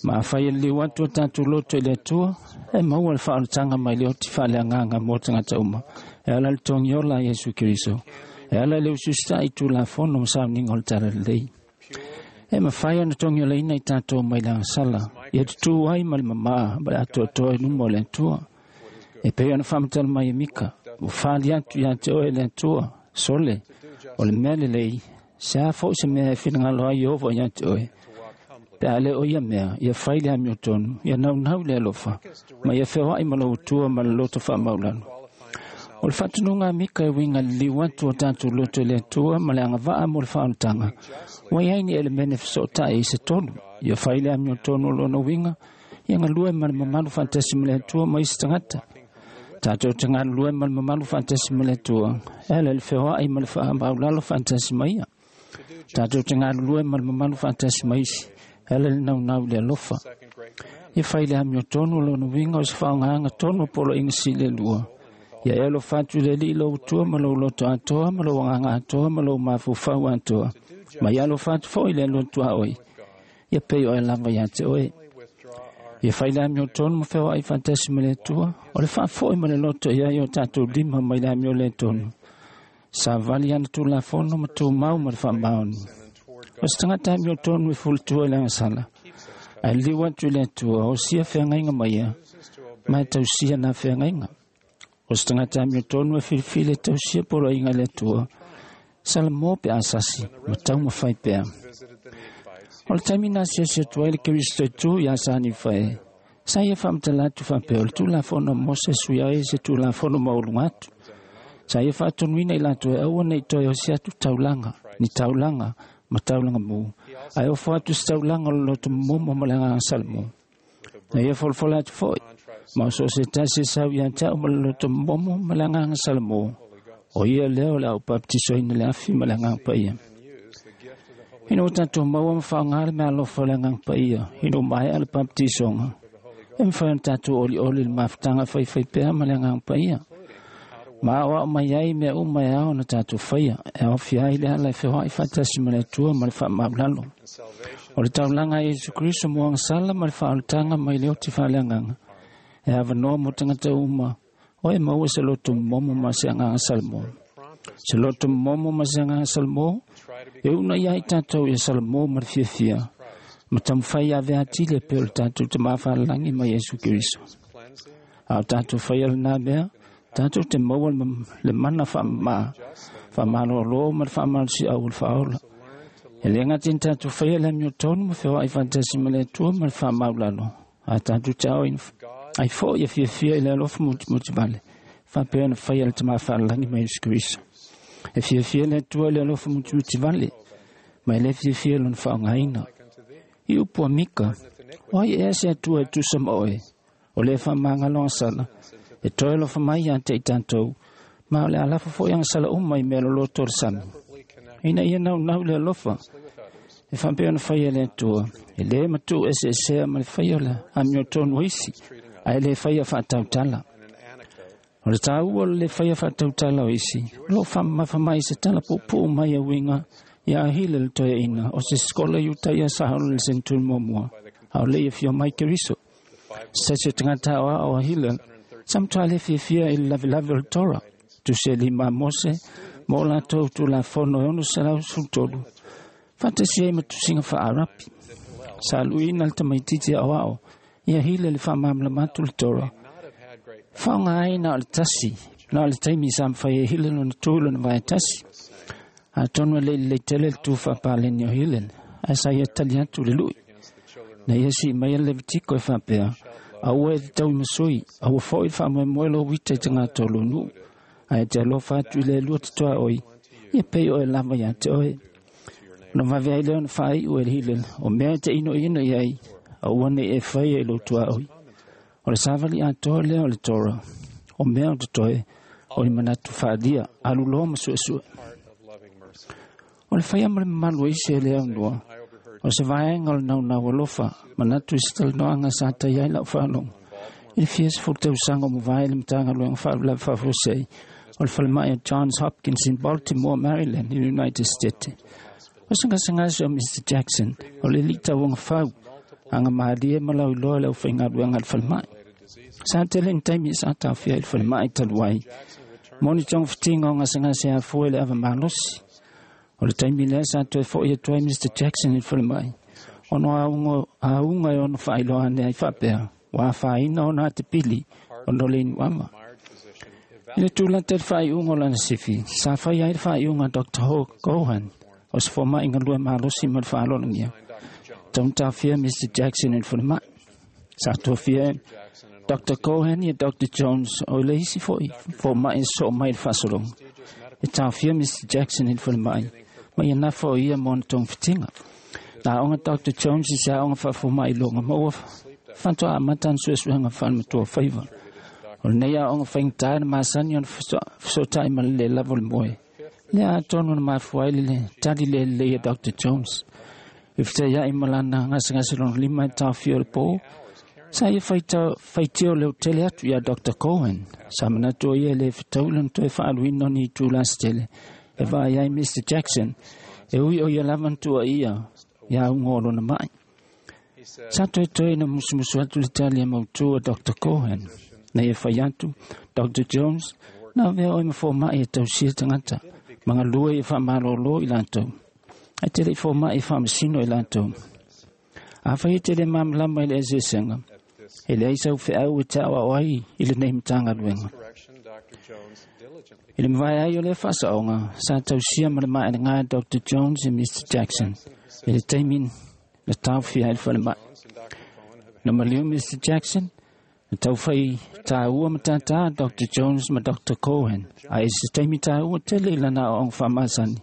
Ma awhai e liu atu o tātou loto i le atua. E maua le whaoletanga mai leo te whaaleanganga mō tangata uma. E ala le tongiola a Yesu Kristo. E ala le ususta i tū fono masauninga o le tala lei. E mawhai ana tongi o leina i tātou mai le angasala. Ia tutu ai ma le mamaa ma le atoatoa i luma o le atua. E pei ona whamatala mai e mika. O whaali atu ia te oe le atua. Sole, o le mea le lei. Se a fo se mea e whingalo ai ovo ia te oe. Pe ale o ia mea, ia whai le amio tonu, ia naunau le alofa. Ma ia whewai ma lo utua ma le loto wha maulalo. O le whatununga mika e winga liu atu o tātou loto le atua ma le angavaa mo le whaontanga. Wai ai ni elemene whasotai i se tonu. Ia whai le amio tonu o lona winga, ia ngā lue ma le mamalu whantasi ma le atua ma isi tangata. Tātou te ngā lue ma le mamalu whantasi ma le atua, e le whewai ma le whaamaulalo whantasi ma ia. Tātou te ngā lue ma le mamalu whantasi ma isi, e le naunau le alofa. Ia whai le amio tonu o lona winga o se whaongaanga tonu polo inga si le lua. Ia e alofa atu i le Alii lou Atua ma lou loto atoa ma lou agaga atoa ma lou mafaufau atoa. Ma ia alofa atu foi i le Atua tuaoi. Ia pei oe lava ia te oe. Ia fai le amiotonu ma feoai faatasi ma le Atua, o le faafoi ma le loto i ai o tatou lima mai le amio le tonu. Savali ana tulafono ma tumau ma le faamaoni. O se tagata amiotonu e fulutua i le agasala, ae liu atu i le Atua, o sia feagaiga mai ia, ma e tausia na feagaiga. O se tagata amiotonu e filifili e tausia poloaiga i le Atua, salamo pe asasi, ma taumafai pea. O le taimi na asiasi atu ai le Keriso i tu ia Sani Fae, sa ia faamatala atu faapea o le tulafono a Mose sui ai se tulafono maualuga atu. Sa ia faatonuina i latou e aua nei toe osi atu taulaga, ni taulaga ma taulaga mu, ae ofo atu se taulaga o le loto momo ma le agaga salamo. Na ia folafola atu foi, ma o so o se tasi e sau ia te au ma le loto momo ma le agaga salamo, o ia lea o le a ou bapetisoina le afi ma le agaga paia. Ina ua tatou maua ma faaaoga le meaalofa o le agaga paia, ina ua maea le bapetisoga, e mafai ona tatou olioli le mafutaga faifai pea ma le agaga paia. Ma aoao mai ai mea uma e ao ona tatou faia, e aofia ai le ala e feoai faatasi ma le Atua ma le faamaulalo. O le taulaga a Iesu Keriso mo agasala ma le faaolataga mai le oti faaleagaga, e avanoa mo tagata uma, o e maua se loto momo ma se agaga salamo. Se loto momo ma se agaga salamo, e una ia i tatou ia salamo ma le fiafia, ma taumafai ave atili e pei o le tatou Tamā Fa'alelagi ma Iesu Keriso. A o tatou faia lenā mea, tatou te maua le mana faamamā, faamalōlō ma le faamalosiau o le faaola. E le gata ina tatou faia le amiotonu ma feoai faatasi ma le Atua ma le faamaulalo, a tatou te aoina ai foi ia fiafia i le alofa mutimutivale, faapea ona faia le Tamā Fa'alelagi ma Iesu Keriso. E fiafia le Atua i le alofa mutimutivale, ma e le fiafia lona faaaogaina. I upu a Mika, o ai ea se Atua e tusa ma oe, o le faamagalo agasala, e toe alofa mai ia te i tatou, ma o le alafa foi agasala uma i mea loloto o le sami. Ina ia naunau le alofa, e faapea ona faia le Atua, e le matuu eseesea ma le faia o le amiotonu o isi, ae le faia faatautala. O le tāua o le le faia faatautala o isi, o loo faamamafa mai se tala puupuu mai a uiga ia ahile le toeaina o se sikola i uta ia saolo le senturi muamua, a o le ia fio mai Keriso. Se tasi o tagata aoao a Hillel, sa matua le fiafia i le lavelave o le Tora, tusi e lima a Mose, ma o latou tulafono e ono selau sefulu tolu, faatasi ai ma tusiga faaarapi. Sa luiina le tamaititi aoao ia Hillel le faamalamalama atu le Tora. Faaaoga ai na o le tasi, na o le taimi sa mafai e Hillel ona tu i lona vae tasi. Atonu e le i lelei tele le tu faapaleni o Hillel, ae sa ia tali atu le lui. Na ia sii mai le Levitiko e faapea, aua e te tauimasui, aua foi le faamoemoe lou uita i tagata o lou nuu, ae e te alofa atu i le Alua totoaoi, ia pei oe lava ia te oe. Ona vave ai lea ona faaiu e le Hillel, o mea e te inoino i ai, aua nei e faia i lou tuaoi. O le savali atoa lea o le Tora, o mea o totoe, o ni manatu faalia, aluloa ma suesue. O le faia ma le mamalu o isi e le aunoa, o se vaega o le naunau alofa, manatu i se talanoaga sa taia ai lau faalogo. I le fia sefulu tausaga o mavae le Matagaluega Faalavelave Faafuasei o le falemai o Johns Hopkins in Baltimore, Maryland, i United States. O se gasegase o Mister Jackson, o le alii tauagafau, agamalie ma lauiloa le aufaigaluega a le falemai. Sa tele ni taimi sa taofia i le falemai talu ai, mo ni togafitiga o gasegase afua i le ava malosi. O le taimi lea sa toe fo'i atu ai Mister Jackson i le falemai, ona auga, auga e ono faailoa ane ai faapea, ua afaina ona atepili ona o le inuava. I le tulata i le faaiuga o lana sifi, sa fai ai le faaiuga a Doctor Ho Gohan, o se foma'i galue malosi ma le faalologia. Taugataofia Mister Jackson i le falemai. Sa tofia Doctor Cohen ia Doctor Jones o le isi foi foma'i e sosoo mai i le faasologa. E taofia Mister Jackson i le falemai, ma ia nafa o ia mo ona togafitiga. Na aoga Doctor Jones i se aoga faafoma'i loga ma ua faatoa amata ana suesuega faalematua faiva. O lenei aoga faigata na masani ona fesootai ma le lē lava o le moe. Lea atonu na mafua ai le tali le lelei a Doctor Jones. I fetaiai ma lana gasegase lona lima e taofia o le pō, Sa ia faitio le tele atu ia Doctor Cohen. Sa manatu o ia le fetau lona toe faaluina o ni itulā se tele e vaai ai Mister Jackson e ui o ia lava na tuuaia ia auga o lona ma'i. Sa toetoe na musumusu atu le tali a mautū a Doctor Cohen. Na ia fai atu, Doctor Jones, na avea oe ma foma'i e tausia tagata, ma galue ia faamalōlō i latou. Ae te le'i foma'i e faamasino i latou. Afai e te le malamalama i le eseesega, e leai sau feau e ta'oa'o ai i lenei Matagaluega. I le mavae ai o lea faasaoga, sa tausia ma le maelegā Doctor Jones e Mister Jackson i le taimi na taofia ai le falema'i. Na maliu Mister Jackson, na taufai tāua ma tātā Doctor Jones ma Doctor Cohen, ae i se taimi tāua tele i lana aoaoga faamasani.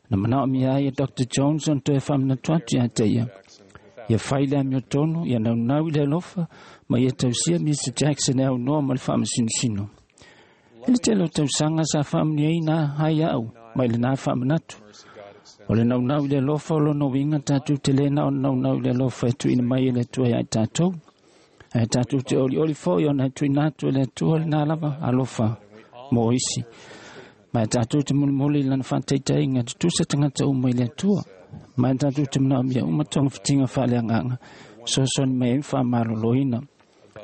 Na manaomia ai e Doctor Jones ona toe faamanatu atu iā te ia. Ia fai le amiotonu, ia naunau i le alofa, ma ia tausia Mister Jackson e aunoa ma le faamasinosino. E le tele o tausaga sa faamanuiaina ai a'u mai lenā faamanatu. O le naunau i le alofa o lona uiga tatou te lē na ona naunau i le alofa e tuuina mai e le Atua iā i tatou. Ae tatou te olioli fo'i ona e tuuina atu e le Atua lenā lava alofa mo isi. Ma e tatou te mulimuli i lana faataitaiga tutusa tagata uma i le Atua. Ma e tatou te manaomia uma togafitiga faaleagaga fesoasoani mai ai ma faamalōlōina.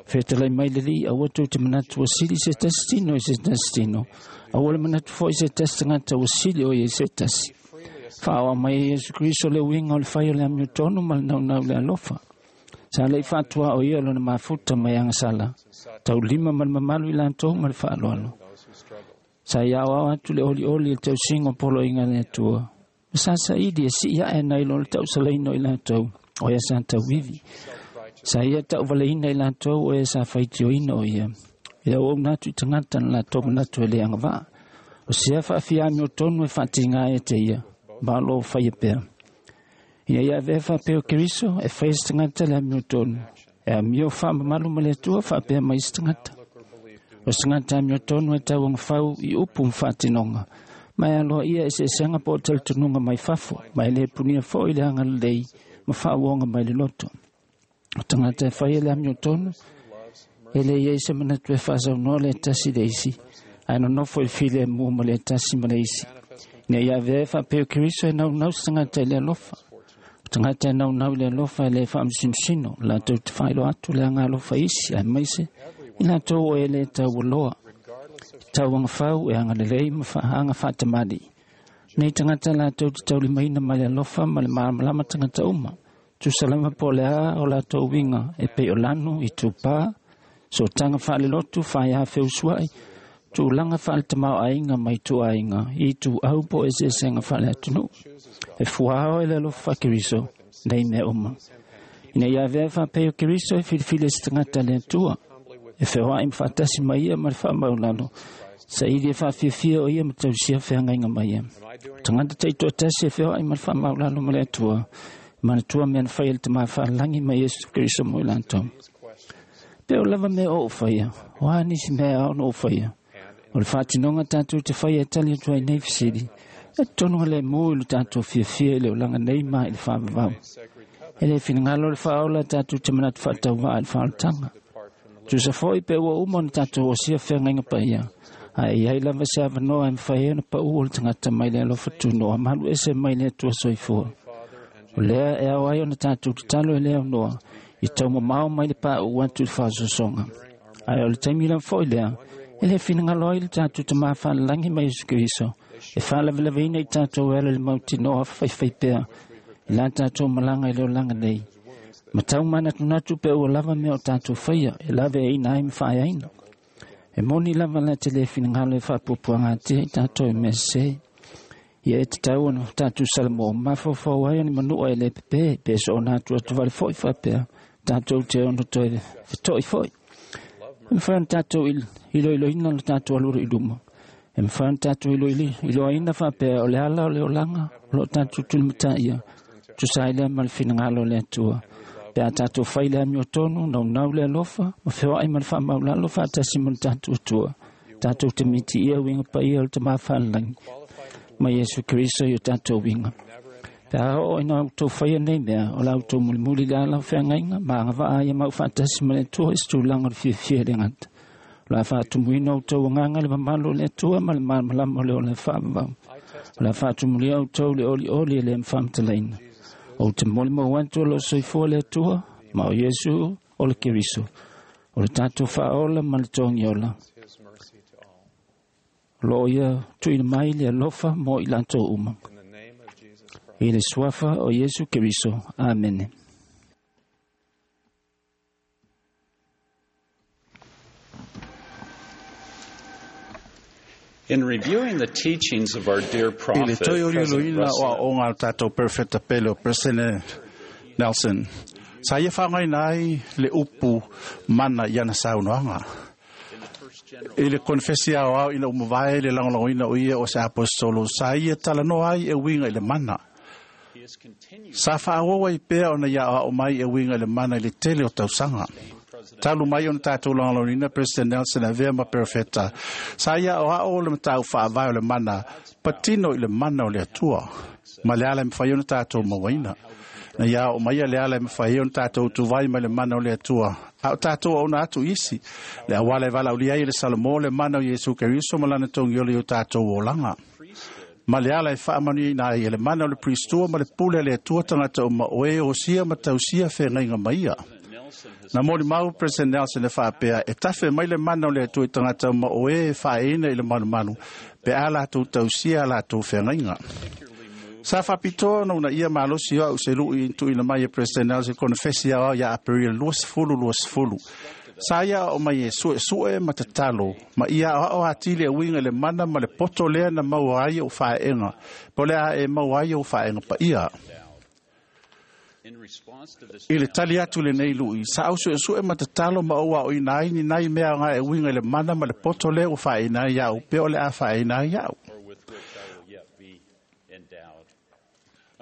Fetalai mai le Alii, aua tou te manatu ua sili se tasi tino i se tasi tino. Aua le manatu fo'i se tasi tagata ua sili o ia i se tasi. Faaoa mai e Iesu Keriso le uiga o le fai o le amiotonu ma le naunau i le alofa. Sa le'i faatuā o ia lona mafuta mai agasala, taulima ma le mamalu i latou ma le faaaloalo. Sa ia aoao atu le olioli i le tausiga o poloaiga a le Atua. Ma sa saili e sii ae nai lo le tausalaina o i latou, o ia sa tauivi. Sa ia tauvaleina i latou o ia sa faitioina o ia. I le auauna atu i tagata na latou manatu e le agavaa. O sea faafia amiotonu e faatigā ai te ia, ma o loo faia pea. Ina ia avea faapea o Keriso e faia se tagata le amiotonu. E amio faamamalu ma le Atua faapea mai se tagata. O se tagata amiotonu e tauagafau i upu ma faatinoga. Ma e aloaia eseesega po o talitonuga mai fafo, ma e lē punia fo'i le agalelei ma faauoga mai le loto. O tagata e faia le amiotonu, e le iai se manatu e faasaunoa le tasi le isi, ae nonofo i le filemu ma le tasi ma le isi. Ina ia avea e faapea o Keriso e naunau se tagata i le alofa. O tagata e naunau i le alofa e lē faamasinosino, latou te faailoa atu le agalofa i isi, aemaise i latou o e lē taualoa. Tauagafau e agalelei ma faaga faatamalii. Nei tagata latou te taulimaina ma le alofa ma le malamalama tagata uma. Tusa lava po o le a o latou uiga e pei o lanu, itupā, sootaga faalelotu, faaiā feusua'i, tulaga faaletamāo'aiga ma ituaiga, ituau po o eseesega faaleatunuu. E fuaao e le alofa faakeriso nei mea uma. Ina ia avea e faapea o Keriso e filifili e se tagata le Atua. E feoa'i ma faatasi ma ia ma le faamaulalo. Saili e faafiafia o ia ma tausia feagaiga ma ia. O tagata taitoatasi e feoa'i ma le faamaulalo ma le Atua. Manatua mea na faia e le Tamā faalelagi ma Iesu Keriso mo i latou. Pe o lava mea o ou faia, o a nisi mea e ao ona ou faia. O le faatinoga tatou te faia e tali atu ai nei fesili, e totonu le mō i lo tatou fiafia i le olaga nei ma i le faavavau. E le finagalo le faaola tatou te manatu faatauvaa i le faaolataga. Tusa fo'i pe ua uma ona tatou osia feagaiga paia, ae iai lava se avanoa e mafai ai ona paʻu o le tagata mai le alofa tunoa ma alu ese mai le Atua soifua. O lea e ao ai ona tatou tatalo e le aunoa i taumamao mai le paʻu atu i le faasoasoga. Ae o le taimi lava fo'i lea, e le finagalo ai le tatou Tamā faalelagi ma Iesu Keriso e faalavelaveina i tatou e ala i le mautinoa faifaipea i la tatou malaga i le olaga nei. Ma tau manatunatu pe ua lava mea o tatou faia e laveaina ai ma faaeaina. E moni lava la te le finagalo e faapuapuagatia i tatou i mea sesē. Ia e tatau ona tatou salamo mafaufau ai o ni manua e le pepē pe soona atu atu vale fo'i faapea tatou te ono toe feto'i fo'i. E mafai ona tatou iloiloina lo tatou alualu i luma. E mafai ona tatou iloaina faapea o le ala o le olaga o loo tatou tulimataia tusa ai lea ma le finagalo o le Atua. Pe a tatou fai le amiotonu, naunau le alofa, ma feoa'i ma le faamaulalo faatasi ma le tatou Atua. Tatou te mitiia uiga paia o le Tamā faalelagi ma Iesu Keriso i o tatou uiga. Pe a oo ina outou faia nei mea, o la outou mulimuli le ala o feagaiga ma agavaa ai e mau faatasi ma le Atua i se tulaga o le fiafia e le gata. O le a faatumuina outou agaga i le mamalu o le Atua ma le malamalama o le ola e faavavau. O le a faatumulia outou le olioli e le faamatalaina. Ou te molimau atu o loo soifua le Atua, ma o Iesu o le Keriso, o le tatou faaola ma le togiola. O loo ia tuuina mai le alofa mo i latou uma. I le suafa o Iesu Keriso. Amene. In reviewing the teachings of our dear I le prophet, toe President olioloina o Russell aoga a le tatou perfeta pele o President Nelson, sa ia faaaogaina ai le upu mana i ana saunoaga. I le konefesi aoao ina ua mavae le lagolagoina o ia o se aposetolo, sa ia talanoa ai e uiga i le mana. Sa faaauau ai pea ona ia aoao mai e uiga i le mana i le tele o tausaga. Talu mai ona tatou lagolagoina President Nelson avea ma perofeta, sa ia aoao le matau faavae o le mana, patino i le mana o le Atua, ma le ala e mafai ona tatou mauaina. Na ia o mai le ala e mafai ona tatou tuvai mai le mana o le Atua. A o tatou auna atu isi, le auala e valaaulia ai le Salomō le mana o Iesu Keriso ma lana togiola i o tatou olaga. Ma le ala e faamanuiaina ai e le mana o le Pristua ma le pule a le Atua tagata uma o e osia ma tausia feagaiga ma ia. Na molimau President Nelson e faapea, e tafe mai le mana o le Atua i tagata uma o e e faaeina i le malumalu, pe a latou tausia a latou feagaiga. Sa faapitoa ona uunaia malosi o au se lui tuuina mai e President Nelson konefesi aoao ia Aperila luasefulu luasefulu. Sa ia aoao mai e suesue ma tatalo, ma ia aoao atili e uiga i le mana ma le poto lea na maua ai ou faeega, po o le a e maua ai ou faeega paia. I le tali atu lenei lui, sa au suesue ma tatalo ma ou aoina ai ni nai mea aoga e uiga i le mana ma le poto lea ua faaeina ai ia'u, pe o le a faaeina ai ia'u.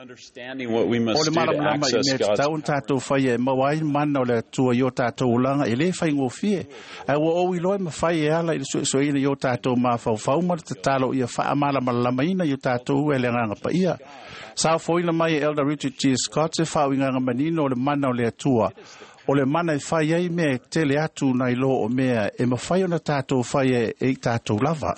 Understanding what we must O le do to malamalama i access mea God's tatau ona tatou faia e maua ai mana o le Atua i o tatou olaga e lē faigofie. Ae ua ou iloa e mafai e ala i le suesueina i o tatou mafaufau ma le tatalo ia faamalamalamaina i o tatou e le agaga paia. Sa ofoina mai e Elder Richard G. Scott se faauigaga manino o le mana o le Atua. O le mana e fai ai mea e tele atu nai lo o mea e mafai ona tatou faia e i tatou lava.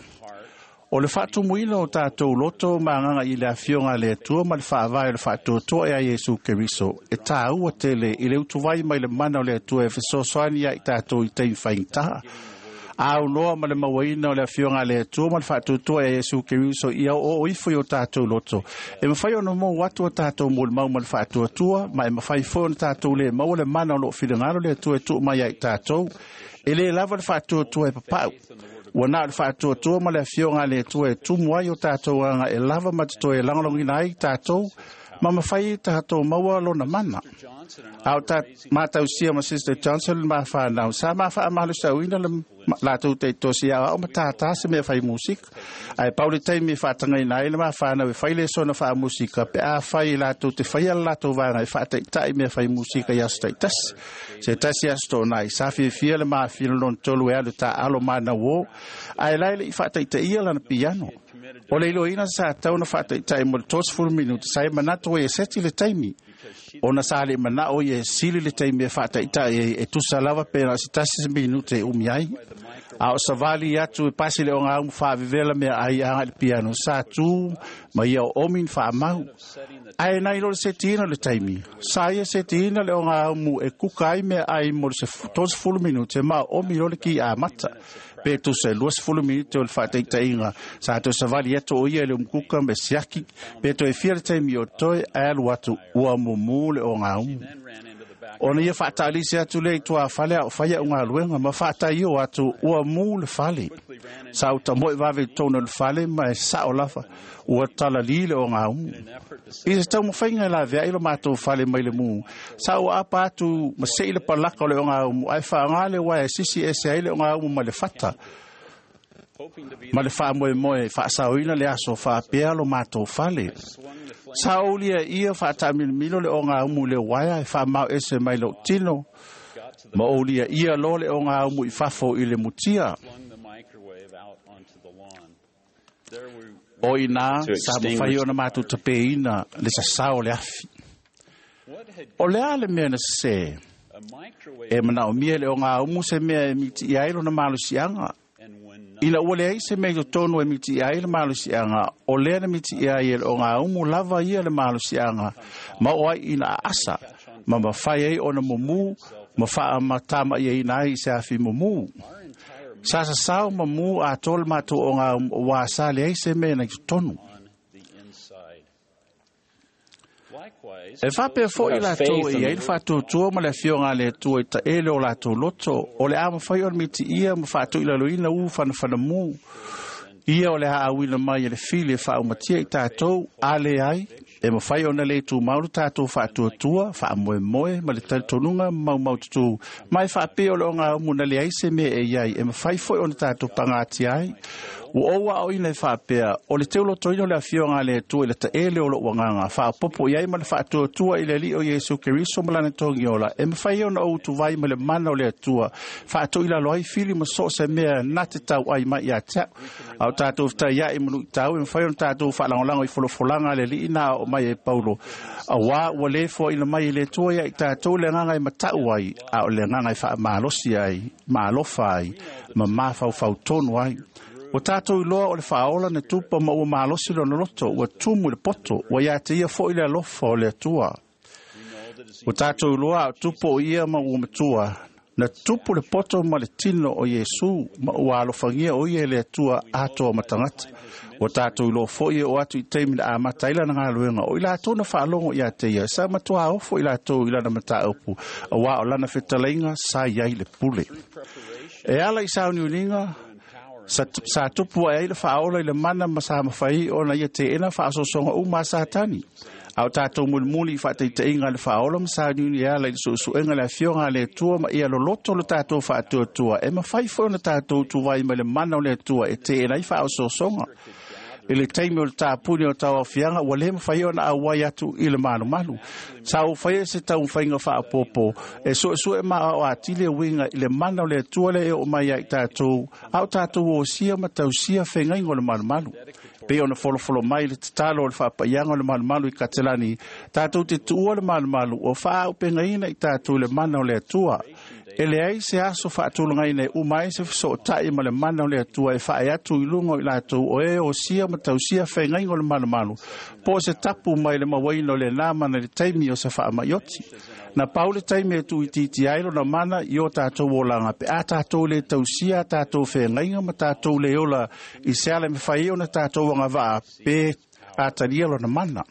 O le faatumuina o tatou loto ma agaga i le afioga a le Atua ma le faavae o le faatuatua e a Iesu Keriso, e tāua tele i le utuvai mai le mana o le Atua e fesoasoani ia i tatou i taimi faigata. A aunoa ma le mauaina o le afioga a le Atua ma le faatuatua e a Iesu Keriso ia oo ifo i o tatou loto, e mafai ona mou atu o tatou molimau ma le faatuatua, ma e mafai foi ona tatou le maua le mana o loo finagalo le Atua e tuu mai ai i tatou. E lē lava le faatuatua e papau. Ua na o le faatuatua ma le afioga a le Atua e tumu ai o tatou aga e lava ma te toe lagolagoina ai tatou, ma mafai ai tatou maua lona mana. A o ta matausia ma Sister Johnson le mafanau, sa mafaamalosauina le latou taitosi aoao ma tātā se mea fai musika. Ae pau le taimi e faatagaina ai le mafanau e fai le sona faamusika, pe a fai e latou te faia le latou vaega e faataitai mea fai musika i aso taitasi. Se tasi aso toonai, sa fiafia le mafina lona tolu e alu taalo manau o, ae la e le'i faataitaia lana piano. O le iloaina sa tau na faataitai mo le tolusefulu minuti, sa e manatu ai e seti le taimi. Ona sa le manao ia e sili le taimi e faataitai ai e tusa lava pe na o se tasi se minute e umi ai. A o savali atu e pasi le ogaumu faavevela mea ai aga i le piano, sa tu ma ia o omi ni faamau. Ae nai lo le setiina o le taimi, sa ia setiina le ogaumu e kuka ai mea ai mo le tolusefulu minute ma o omi lo le ki amata. Pe tusa e luasefulu minute o le faataitaiga, sa toe savali atu o ia i le umukuka me siaki, pe toe fia le taimi o toe ae alu atu ua mumu le ogaumu. Ona ia faataalisi atu lea i tuafale a o fai a'u galuega ma faataio atu ua mu le fale. Sa utamoe vave i totonu o le fale ma e sa'o lava ua talalī le ogaumu. I se taumafaiga e laveai lo matou fale mai le mu, sa ua apa atu ma se'i le palaka o le ogaumu ae faaaogā le uaea e sisi ese ai le ogaumu ma le fata ma le faamoemoe faasaoina le aso faapea lo matou fale. Sa oulia ia faataamilomilo le ogaumu i le uaea e faamao ese mai lou tino, ma oulia ia loa le ogaumu i fafo i le mutia. O ina to sa mafai extinguish ona matou tapeina le sasao o le afi. O le a le mea na sesē e manaomia e le ogaumu se mea e mitiia ai lona malosiaga. Ina ua leai se mea i totonu e mitiia ai le malosiaga, o lea na mitiia ai e le ogaumu lava ia le malosiaga, ma oo ai ina aasa, ma mafai ai ona mumu, ma faamatama'iaina ai i se afi mumu. Sa sasao mamu atoa le matou ogaumu auā sa leai se mea na i totonu. E faapea fo'i latou e iai le faatuatua ma le afioga a le Atua i taʻele o latou loto, o le a mafai ona mitiia ma faatoʻilaloina u fanafanamu ia o le a auina mai e le fili e faaumatia i tatou. A leai, e mafai ona lē tumau le tatou faatuatua faamoemoe ma le talitonuga maumaututu, ma e faapea o le ogaumu na leai se mea e iai e mafai foi ona tatou pagatia ai. Ua ou aoina e faapea, o le teulotoina o le afioga a le Atua i le taʻele o loʻu agaga, faaopopo i ai ma le faatuatua i le Alii o Iesu Keriso ma lana togiola, e mafai ona ou utuvai ma le mana o le Atua, faatoʻilalo ai fili ma so o se mea na te tauʻai mai ia te a'u. A o tatou fetaiaʻi ma luʻitau, e mafai ona tatou faalagolago i folafolaga a le Alii na aoo mai e Paulo, auā ua lē foaʻina mai e le Atua ia i tatou le agaga e mataʻu ai, a o le agaga e faamalosi ai, ma alofa ai, ma mafaufau tonu ai. Ua tatou iloa o le Faaola na tupa ma ua malosi lona loto, ua tumu i le poto, ua ia te ia foʻi le alofa o le Atua. Ua tatou iloa a o tupu o ia ma ua matua, na tupu le poto ma le tino o Iesu, ma ua alofagia o ia e le Atua atoa ma tagata. Ua tatou iloa foʻi e oo atu i taimi na amata ai lana galuega, o i latou na faalogo ia te ia, sa matuā ofo i latou i lana mataupu, auā o lana fetalaiga sa iai le pule. E ala i sauniuniga sa, sa tupu ai ai le Faaola i le mana ma sa mafai ona ia teʻena faasoasoga uma a Satani. A o tatou mulimuli i faataitaiga le Faaola ma sauniuni e ala i le suesuega le afioga a le Atua ma ia loloto lo tatou faatuatua, e mafai foi ona tatou tuvai mai le mana o le Atua e teʻena ai faaosoasoga. I le taimi o le tapuni o tauaofiaga, ua lē mafai ona auai atu i le malumalu. Sa ou faia se taumafaiga faaopoopo e suesue ma aoao atili e uiga i le mana o le Atua lea e oo mai ai tatou, a o tatou osia ma tausia fegaiga o le malumalu. Pei ona folofolo mai le tatalo o le faapaiaga o le malumalu i Katelani, tatou te tuua le malumalu ua faaaupegaina i tatou i le mana o le Atua. E leai se aso faatulagaina e uma ai se fesootaʻi ma le mana o le Atua e faae atu i luga o i latou o e osia ma tausia fegaiga o le malumalu, po o se tapu mai le mauaina o lenā mana i le taimi o se faamaʻioti. Na pau le taimi e tuuitiitia ai lona mana i o tatou olaga pe a tatou lē tausia a tatou fegaiga ma tatou lē ola i se ala e mafai ai ona tatou agavaa pe atalia lona mana.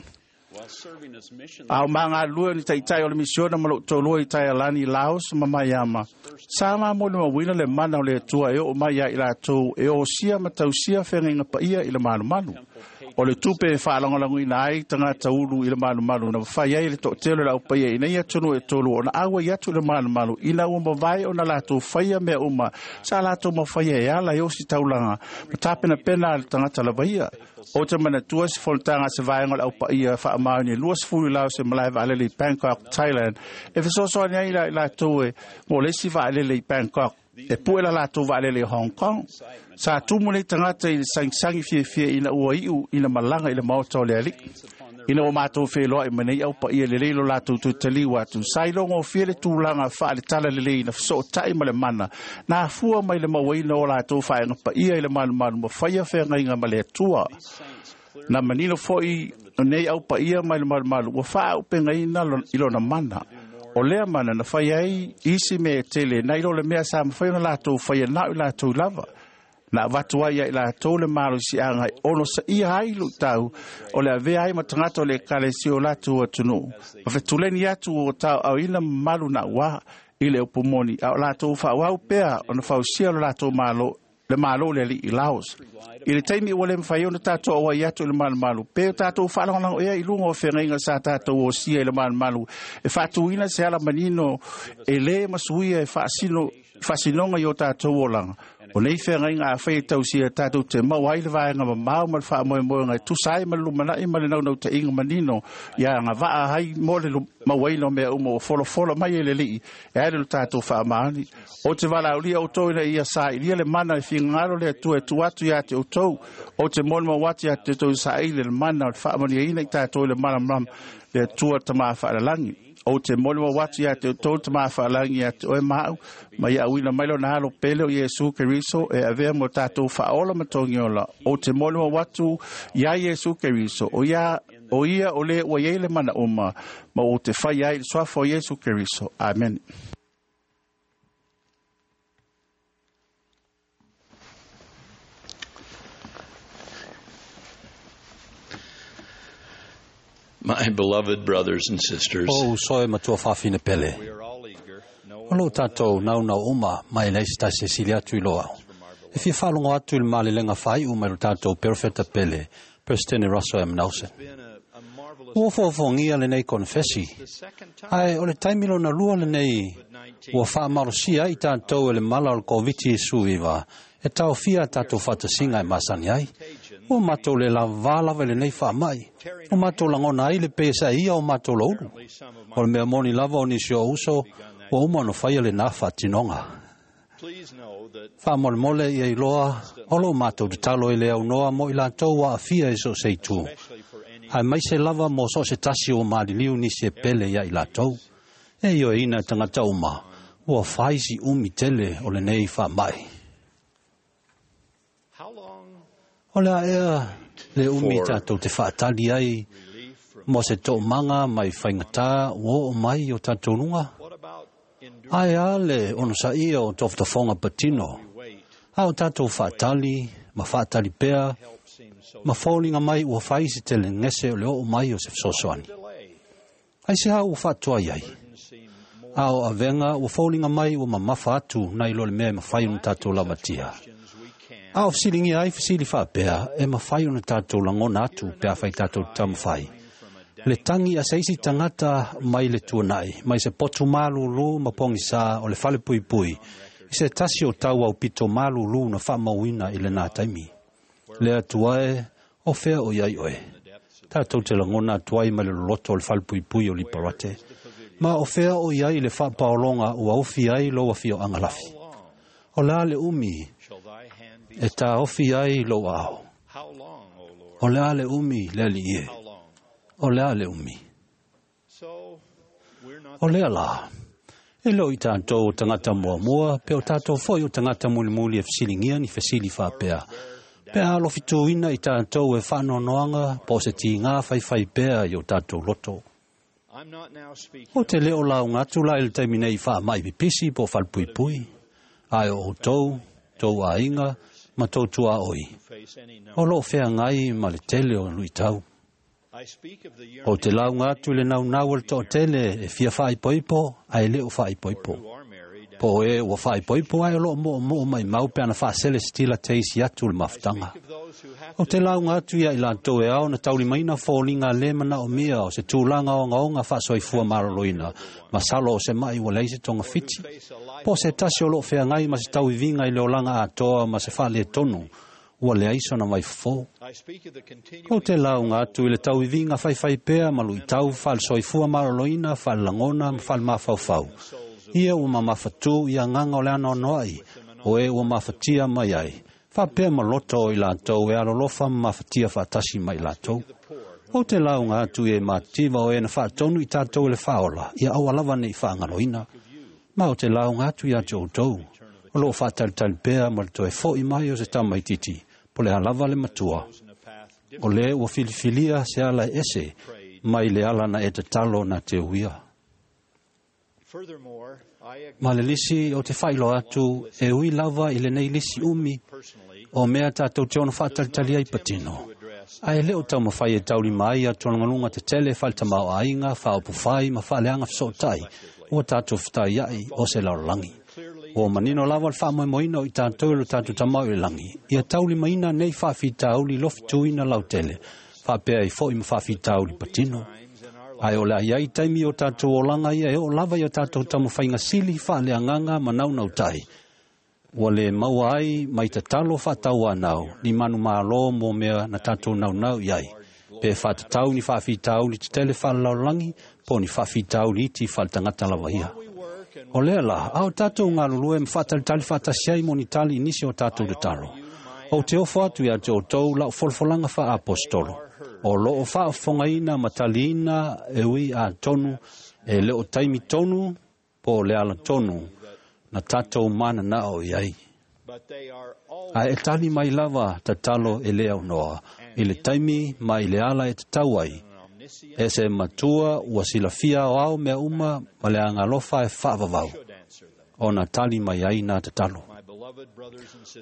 A o magalulue o ni taʻitaʻi o le misiona ma loʻu toalua i Taialani, Laos ma Maiama, sa mamolimauina le mana o le Atua e oo mai ia i latou e osia ma tausia fegaiga paia i le malumalu. O le tupe e faalagolagoina ai tagata ulu i le malumalu na mafai ai le toʻatele o le aupaia ina ia atunuu e tolu ona auai atu i le malumalu, ina ua mavae ona latou faia mea uma sa latou mafaia e ala i ositaulaga ma tapenapena a le tagata lava ia. Ou te manatua se fonotaga a se vaega o le aupaia faamaoni e luasefulu i Laos e malae vaalele i Bangkok, Thailand, e fesoasoani ai i latou e mo le isi vaalele i Bangkok e pue la latou vaalele i Hong Kong. Sa tumu nei tagata i le sagisagi fiafia ina ua iʻu ina malaga i le maota o le Alii. Ina ua matou feloaʻi ma nei aupaia, lelei lo latou toe atu, sa ilogofie le tulaga faaletala lelei na fesootaʻi ma le mana na afua mai le mauaina o latou faega paia i le malumalu ma faia feagaiga ma le Atua. Na manino foʻi nei aupaia mai le malumalu ua faaaupegaina i lona mana. O lea mana na fai ai isi mea e tele nai lo le mea sa mafai ona latou faia nao i latou lava. Na avatu ai ia i latou le malosiaga e ono saia ai luʻitau o le avea ai ma tagata o le ekalesia o latou atunuu ma fetuleni atu o taoʻaoina mamalu na uā i le upu moni, a o latou faaauau pea ona fausia lo latou malo le malo le Alii i Laos. I le taimi ua le mafai ona tatou auai atu i le malumalu, pe o tatou faalagolago ea i luga o fegaiga sa tatou osia i le malumalu e faatuina se ala manino e lē masuia e faasino faasinoga i o tatou olaga. O nei feagaiga afai e tausia tatou te maua ai le vaega mamao ma le faamoemoega e tusa ai ma le lumanai ma le naunautaiga manino ia agavaa ai mo le mauaina o mea uma ua folafola mai e le Alii e ai le tatou faamaoni. Ou te valaaulia outou ina ia sailia le mana e finagalo le Atua e tuu atu ia te outou. Ou te molimau atu ia te outou saili le mana o le faamanuiaina i tatou i le malamalama le Atua Tama Faalalagi. Ou te molimau atu ia te outou Tama Faalalagi ia te oe ma au, ma ia auina mai lona alo pele o Iesu Keriso e avea mo tatou faaola ma togiola. Ou te molimau atu ia Iesu Keriso, o ia o ia o le ua iai le mana uma, ma ou te fai ai i le suafa o Iesu Keriso. Amen. My beloved brothers and sisters, O uso e matua fafine pele. O lo tātou naunau uma mai lei se tasi e sili atu i loa. E fia whalongo atu i le malelenga whai uma i lo tātou perofeta pele, President Russell M. Nelson. Ua fōfōngia le nei konfesi. Ai, o le taimilo na lua le nei ua whaamarosia i tātou e le mala o le Koviti suiva e tau fia tātou whatasinga e masani ai. Ua mātou le lava lava le nei whaamai. O mātou langona ai le pesa ia o mātou laulu. O le mea moni lava o nisi o uso, ua uma no whaia le nā whaatinonga. Whaamolemole ia iloa, o lo mātou te talo i le au noa mo i lātou wa awhia e so se itu. Ai mai se lava mo so se tasi o māriliu nisi e pele ia i lātou. E io e ina tangata uma, ua whaisi umi tele o le nei whaamai. O lea ea le umi tātou te whaatali ai mo se tō manga mai whaingata o o mai o tātou lunga. Ai a le onosa ia o toftofonga patino. A o tātou whaatali, ma whaatali pea, ma fōlinga mai ua whaisi te le ngese o le o mai o se fesoasoani. Ai se hau ua whaatua ai. A o avenga ua fōlinga mai ua mamafa atu nai lo le mea e mawhai o tātou lamatia. A o fisilingi ai fisili whaapea e mawhai o na tātou langona atu pe a whai tātou tamawhai. Le tangi a seisi tangata mai le tuanai, mai se potu malulu ma pongisa o le fale pui pui, i se tasi o tau au pito malulu na whaamauina i le nā taimi. Le atua e, o whea o iai oe. Tātou te langona atuai mai le loloto o le fale pui pui o Liparate. Ma o whea o iai le whaapaolonga o aufi ai lo awhio angalafi. O la le umi e tā ofi ai lo ao. O lea le umi le ali ie. O lea le umi. O lea la. E lo i tātou o tangata mua mua, pe o tātou foi o tangata mulimuli e fisilingia ni fesili whapea. Pe a alofituina i tātou e whanonoanga, po se ti ngā whaiwhai pea i o tātou loto. O te leo lau ngatu la il taimi nei wha mai pipisi po whalpuipui. Ai o tau, tau a inga, ma tau tua oi. O lo whea ngai ma le tele o lui tau. O te lau ngatu le nau nau le tō tele e fia whaipoipo, ai leo whaipoipo. Po e ua whaipoipo ai o lo mo mo mai mau pe ana whaasele stila teisi atu le mafutanga. O te lau ngatu ia i lātou e ao na taulimaina fōlinga le mana o mia o se tūlanga o ngaonga whaasoifua maroloina, masalo o se mai ua leise tonga fiti. Po se tasi o lo whea ngai ma se tauivinga i le olanga atoa ma se whaale tonu, ua le aiso na mai fo. O te lau ngatu i le tauivinga whaiwhai pea ma lui tau whaalsoifua maroloina, whaalangona ma whaalmawhauwhau. Ia ua mamawhatu ia nganga o le ano noai, o e ua mawhatia mai ai. Whapea ma loto o i lātou e alolofa ma mawhatia whaatasi mai lātou. O te launga atu e mātiva o e na whaatonu i tātou le whaola, ia awalawa nei whaangaloina. Ma o te launga atu i atu o tau. O lo whaatalitali pea ma le toe fo i mai o se tamaititi, po le alava le matua. O le ua filifilia se ala ese, mai le ala na e te talo na te uia. Ma le lisi o te whailo atu e ui lava i le nei lisi umi o mea tātou te ono whaatalitali ai patino. Ai leo tau mawhai e tauli mai a tuangalunga te tele whaeltamao ainga, whaopuwhai ma whaaleanga whasotai ua tātou whatai ai o se laolangi. O manino lava le whaamoemoina o i tātou lo tātou tamau i langi. Ia tauli maina nei whaafitauli lofituina lautele, whaapea i fo i ma whaafitauli patino. Ai o le ai taimi o tātou olanga ia e o lava i o tātou tamu whainga sili whaaleanganga ma naunau tai. Ua le maua ai mai tatalo faatauanau ni manumalo mo mea na tatou naunau i ai. Pe faatatau ni faafitauli tetele faalelalolagi po o ni faafitauli iti faaletagata lava ia. O lea la, a o tatou galulue ma faatalitali faatasi ai mo ni tali i nisi o tatou tatalo. Ou te ofo atu ia te outou lau folafolaga faaapostolo. O loo faafofogaina ma taliina e ui atonu e le o taimi tonu po o le ala tonu na tatou mananao i ai. Ae e tali mai lava tatalo e le aunoa i le taimi ma i le ala e tatau ai. E se matua ua silafia aoao mea uma ma le agalofa e faavavau ona tali mai ai na tatalo.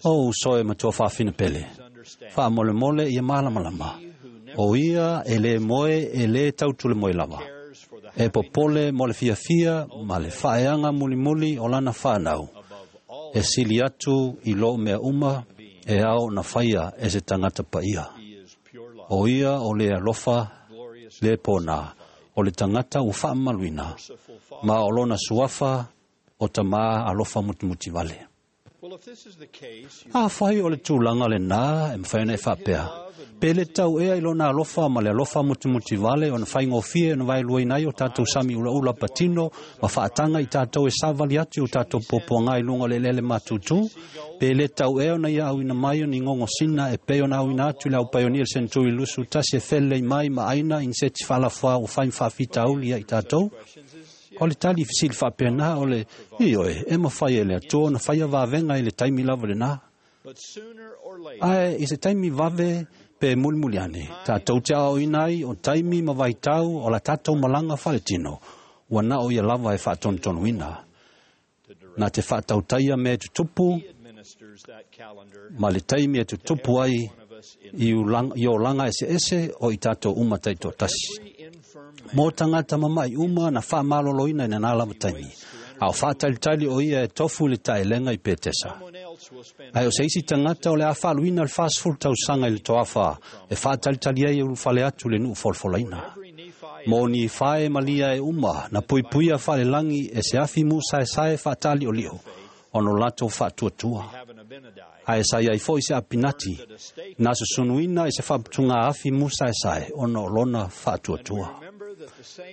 O uso e matua faafinapele, faamolemole ia malamalama. O ia e le moe e le tautulemoe lava. E popole mo le fiafia ma le faaeaga mulimuli o lana fanau. E sili atu i lo mea uma e ao na faia e se tagata paia. O ia o le alofa le pona o le tagata ua faamamaluina ma o lona suafa o tamā alofa mutimuti vale. Afai o le tulaga lenā e mafai ona e faapea, pe le tau ea i lona alofa ma le alofa mutimuti vale ona faigofie ona vaeluaina ai o tatou sami ulaula patino ma faataga i tatou e savali atu i o tatou puapuaga i luga o le eleele matutu, pe le tau ea ona ia auina mai o ni gogosina e pei ona auina atu i le aupaionia le Seneturi lusu tasi e felelei mai ma aina i ni seti faalafoa ua fai ma faafitauli ia i tatou. O le tali fesili faapena o le ioe e mafai e le Atua ona faia vavega i le taimi lava lenā. Ae i se taimi vave pe mulimuli ane, tatou te aoaoina ai o taimi ma vaitau o la tatou malaga faaletino, ua na o ia lava e faatonutonuina. Na te faatautaia mea e tutupu ma le taimi e tutupu ai i i olaga eseese o i tatou uma taitoatasi. Mo tagata mama'i uma na faamaloloina i lenā lava taimi, a o faatalitali o ia e tofu i le taelega i Petesa. Ae o se isi tagata o le a faaluina le fasefulu tausaga i le toafa e faatalitali ai e ulufale atu i le nuu folafolaina. Mo ni fae ma lia e uma na puipuia faalelagi e se afi musaesae faataliolio ona o latou faatuatua. Ae sa iai foi se Apinati na susunuina i se faaputuga afi musaesae ona o lona faatuatua.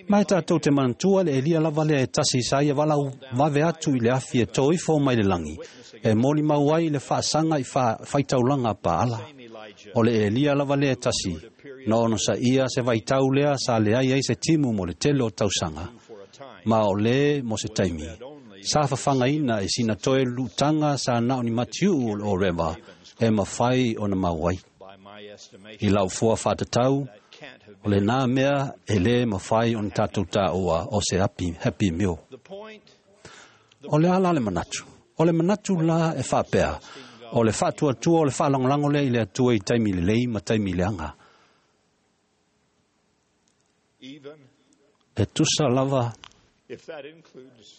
Ma e tatou te manatua le Elia lava lea e tasi sa ia valaau vave atu i le afi e tō ifo mai le lagi, e molimau ai le faasaga i faitaulaga a Paala. O le Elia lava lea e tasi, na onosaia se vaitau lea sa leai ai se timu mo le tele o tausaga, ma o lē mo se taimi, sa fafagaina i sina toe lutaga sa na o ni matiuu o le Oreva e mafai ona mau ai. I lau fua faatatau, o lenā mea e lē mafai ona tatou taua o se happy, happy meal. O le a la le manatu? O le manatu la e faapea, o le faatuatua o le faalagolago lea i le Atua i taimi lelei ma taimi leaga. E tusa lava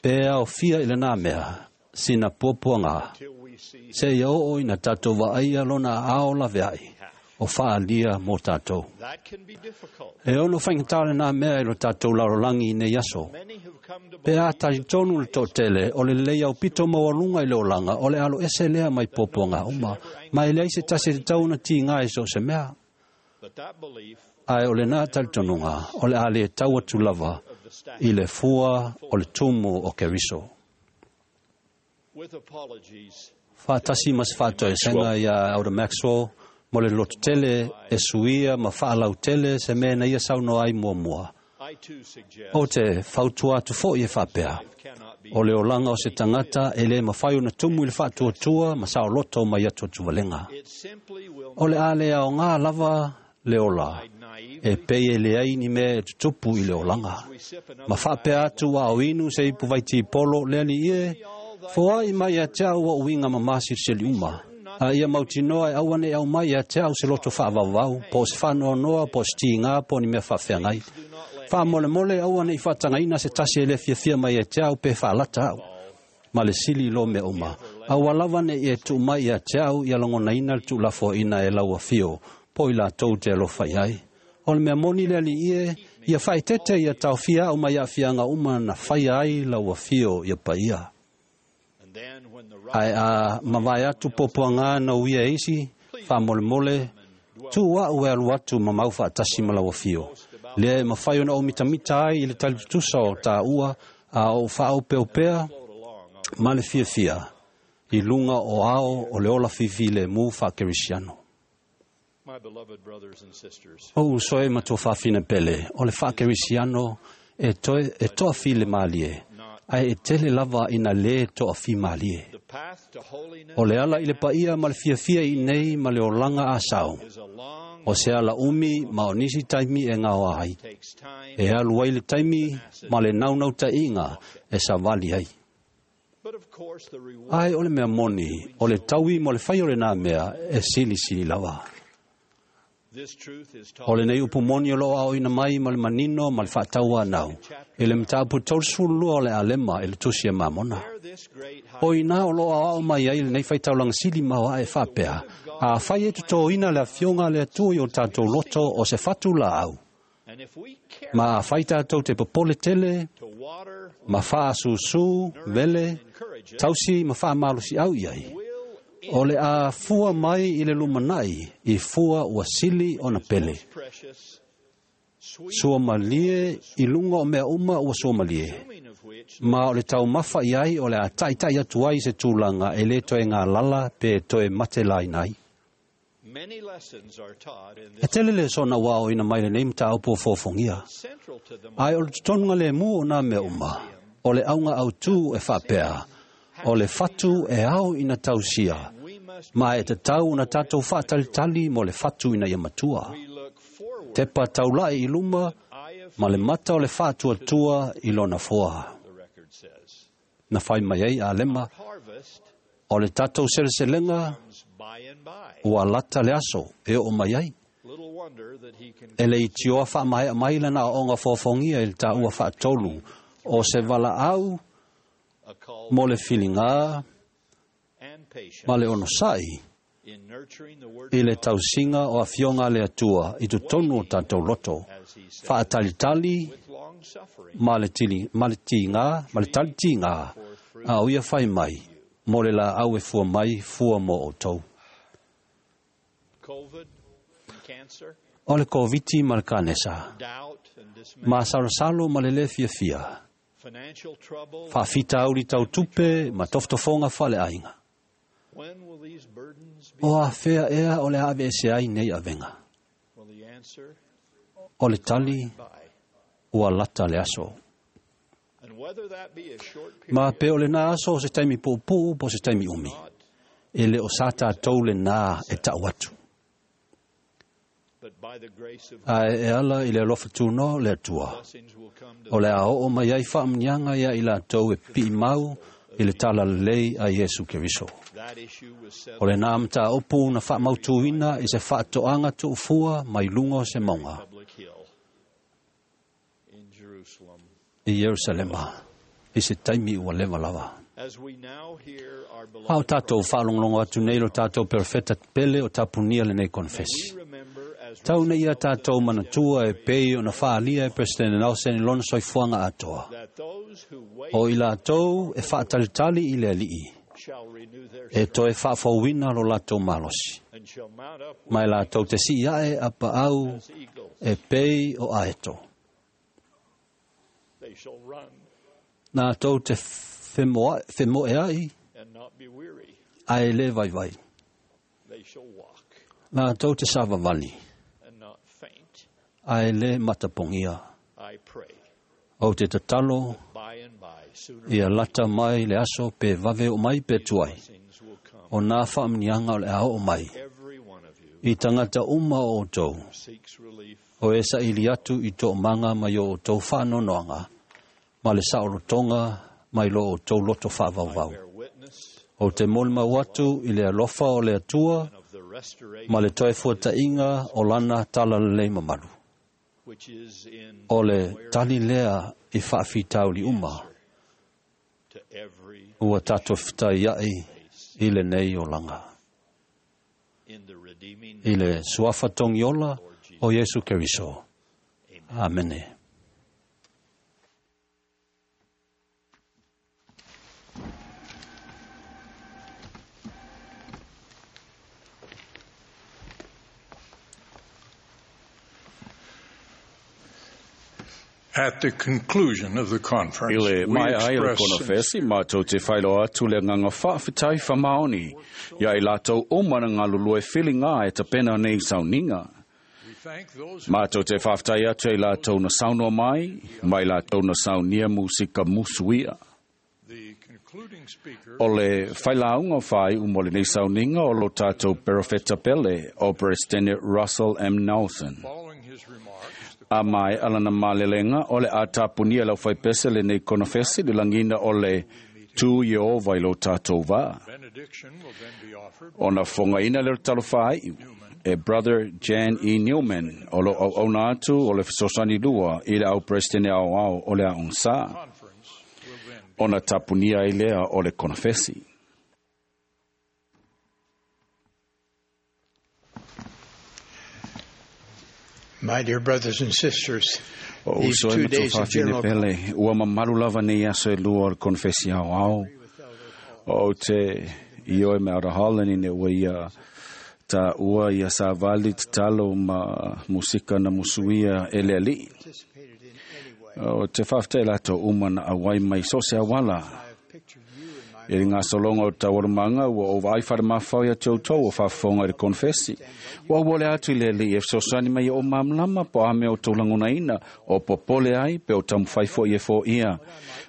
pe aofia i lenā mea, sina puapuaga, seia oo ina tatou vaaia lona aao laveai o faaalia mo tatou. E ono faigata lenā mea i lo tatou lalolagi i nei aso. Pe a talitonu le toatele o le lelei aupito maualuga i le olaga o le aloese lea mai puapuaga uma, ma e leai se tasi e tatau ona tiga i so o se mea. Ae o lenā talitonuga o le a le tau atu lava i le fua o le tumu o Keriso. Faatasi ma se faatoesega iā Elder Maxwell mo le lototele e suia ma faalautele se mea na ia saunoa ai muamua. Ou te fautua atu foi e faapea, o le olaga o se tagata e le mafai ona tumu i le faatuatua ma saoloto mai atuatuvalega. O le a le aoga lava le ola, e pei e leai ni mea e tutupu i le olaga. Ma faapea atu a o inu se ipu vaitipolo le alii e, foai mai ia te au ou uiga mamā silisili uma. A ia mautinoa e aua neʻi aumai ia te au se loto faavauvau, po o se faanoanoa, po o se tigā, po o ni mea faafeagai. Faamolemole aua neʻi faatagaina se tasi e le fiafia mai ia te au pe faalata au. Ma le sili i lo mea uma, aua lava neʻi e tuu mai ia te au ia lagonaina le tuulafoaina e lau afio, po o i latou te alofa i ai. O le mea moni le alii e, ia faaeteete ia taofia au mai aafiaga uma na faia ai lau afio ia paia. Ae a mavae atu puapuaga na uia e isi, faamolemole, tuu a'u e alu atu ma mau faatasi ma lau afio. Lea e mafai ona ou mitamita ai i le talitutusa o tāua a ou faaopeopea ma le fiafia i luga o ao o le ola fifilemu faakerisiano. My beloved brothers and sisters, O uso e matua faafina pele, o le faakerisiano e toe e toafile malie, ae e tele lava ina lē toafimalie. the path to holiness O le ala i le paia ma le fiafia i nei ma le olaga asao. is a long O se ala umi ma o nisi taimi e gaoa ai. takes time, E alu ai le taimi ma le naunau-taʻiga e savali ai. but of course the reward Ae o le mea moni, o le taui mo le fai o lenā mea e silisili lava. this truth is O taught lenei upu moni o loo aoina mai ma le manino ma le faataua anau. I le mataupu taulusefululua o le alema i le tusi e mamona. there this great high O ina o loo aoao mai ai lenei faitaulaga sili ma o ae faapea. A fai e totōina le afioga le Atua i o tātou loto o se fatu laau. and if we care Ma a fai tātou te popole tele, to water ma whaasusū, vele, encourage it tausi ma whaamalosi au iai. will O le a fua mai i le lumanai, i fua ua sili ona pele. precious sweet Sua malie i lunga o mea uma ua sua malie. blooming of which Ma o le taumafa i ai o le a taitai atu ai se tūlanga e le toe ngā lala pe toe mate laina ai. many lessons are taught in E this tele le sona wao ina mai le nei mtaopo fōfongia. central to them Ai o le totonuga le mu o nā mea uma, o le aunga au tū e whapea, o le fatu e au ina tausia, we must ma e te tau na tātou whaatalitali mo le fatu ina ia matua. we look forward Tepa taulai i luma, eye of ma le mata o le whaatuatua i lona foa. the record says Na whai mai ai a lema, harvest o le tātou seleselega comes by and by ua lata le aso e o mai ai. little wonder that he can E le i tioa wha mai mai lana o onga fōfongia i le tāua whaatolu, o se wala au a call mo le whilinga and patience ma le onosai in nurturing the word i of le God, tausinga o afioga le Atua i totonu o tātou loto. as he said Whaatalitali with long suffering ma le tili, ma le tīngā, ma le tali tīngā, a o ia whai mai, mo le la au e fua mai, fua mo o tau. COVID and cancer O le koviti ma le kanesa, doubt and dismay ma sarosalo ma le le fia fia, financial trouble whaafita auri tau tupe ma toftofonga whale ainga. when will these burdens be O a whea ea o le ave e se ai nei avenga. well the answer O le tali by ua lata le aso. and whether that be a short period Ma pe o le nā aso o se taimi pōpū po se taimi umi. not E le o sa tātou le nā e tau atu. but by the grace of A e ala i le alofa tūno le atua. blessings will come to O le a oo mai ai whaamnianga ia i lātou e pii mau i le tala lelei a Iesu Keriso. that issue was O settled le nā mta opu na whaamautuina i se whaatoanga tuufua mai lunga o se maunga public hill in Jerusalem i Yerusalema i se taimi ua lewa lava. as we now hear our Hao beloved tātou whaalongolongo atu nei lo tātou perfeta pele o tapunia le nei konfesi. we remember as Tau nei ia tātou manatua e pei o na whaalia e President Nelson i lona soifuanga atoa. that those who wait O i lātou e whaatalitali i le alii, shall renew their e strength toe whaafauina lo lātou malosi. and shall mount up with Mai lātou te si ae a paau as eagles e pei o aeto. they shall run Nā tau te whemoa, whemoe ai, and not be weary ae le vai vai. they shall walk Nā tau te savavali, and not faint ae le matapongia. I pray O te tatalo, by and by sooner ia lata mai le aso pe vave o mai pe tuai. blessings will come O nā whaamnianga o le ao o mai. every one of you I tangata uma o tau, who seeks relief o e sa ili atu i tō manga mai o tau whanonoanga, ma le saolotonga mai lo o tau loto whaavauvau. bear witness O te molimau atu i le alofa o le Atua, of the restoration ma le toe fuatainga o lana tala lelei mamalu. which is in O le tali lea i whaafitauli uma, to every ua tātou whitai ai i le nei o langa. in the redeeming I le suafa tongiola o Yesu Keriso. Amene. At the conclusion of the conference, Ile we mai ai le express konofesi mātou te whailo atu le nganga whaawhitai whamaoni. Ia i lātou umana ngā lulue whilinga e tapena nei sauninga. we thank those who Mātou te whaawhitai atu i lātou na saunoa mai, mai lātou na saunia musika musuia. the concluding speaker O le whailaunga whai umo le nei sauninga o lo tātou Perofeta Pele o President Russell M. Nelson. following his remarks, the A mai alana malelenga o le atapunia lau whaipese le nei konofesi le langina o le tū Yehova i lo tātou vā. benediction will then be offered Ona whongaina le talofai e Brother Jan E. Newman o lo au auna atu o le fesosani lua i le au president au au o le aong sa. conference will then Ona tapunia i lea o le konofesi. My dear brothers and sisters, O these uso e two matua days of whawhine general pele, ua mamalu lava nei aso e lua o le konfesi au au. O te ioe me ara holani ne ua ia ta ua ia sa vali tatalo ma musika na musuia e le ali. participated in any way. O te whawhite lato uma na awai mai so se awala. I have pictured you in my E ngā solonga o tawarumanga ua o vai whare mawhau ia te outou o whawhonga i le konfesi. Ua ua le atu i le li e sosani mai o mamlama po ame o taulangona ina o popole ai pe o tamuwhai fo i e fo ia.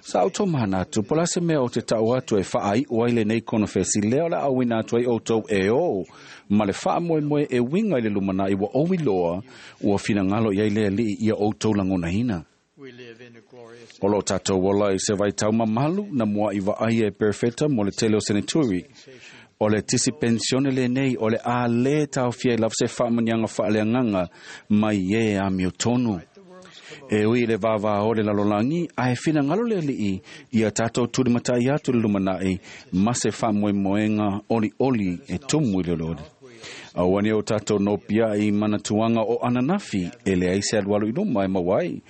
Sa auto mana atu po la se mea o te tau atu e whaai o ai le nei konfesi leo la awina atu ai outou e o. Ma le wha moe moe e winga i le lumana i wa owi loa ua whinangalo i ai le li ia outou langona ina. we live in a glorious O lo tātou ola i se vai tau mamalu na mua i vaai e perfecta mo le tele o seneturi. O le tisi pensione le nei o le a le tau fia i lava se whaamanianga whaaleanganga mai e a mio tonu. E ui le vāvā o le lalolangi, a e whina ngalo le lii i a tātou turi matai atu le lumanai ma se whaamoemoenga oli oli e tumu i le lori. Auane o tātou no pia i manatuanga o ananafi e le ai se alualu i luma e mawai.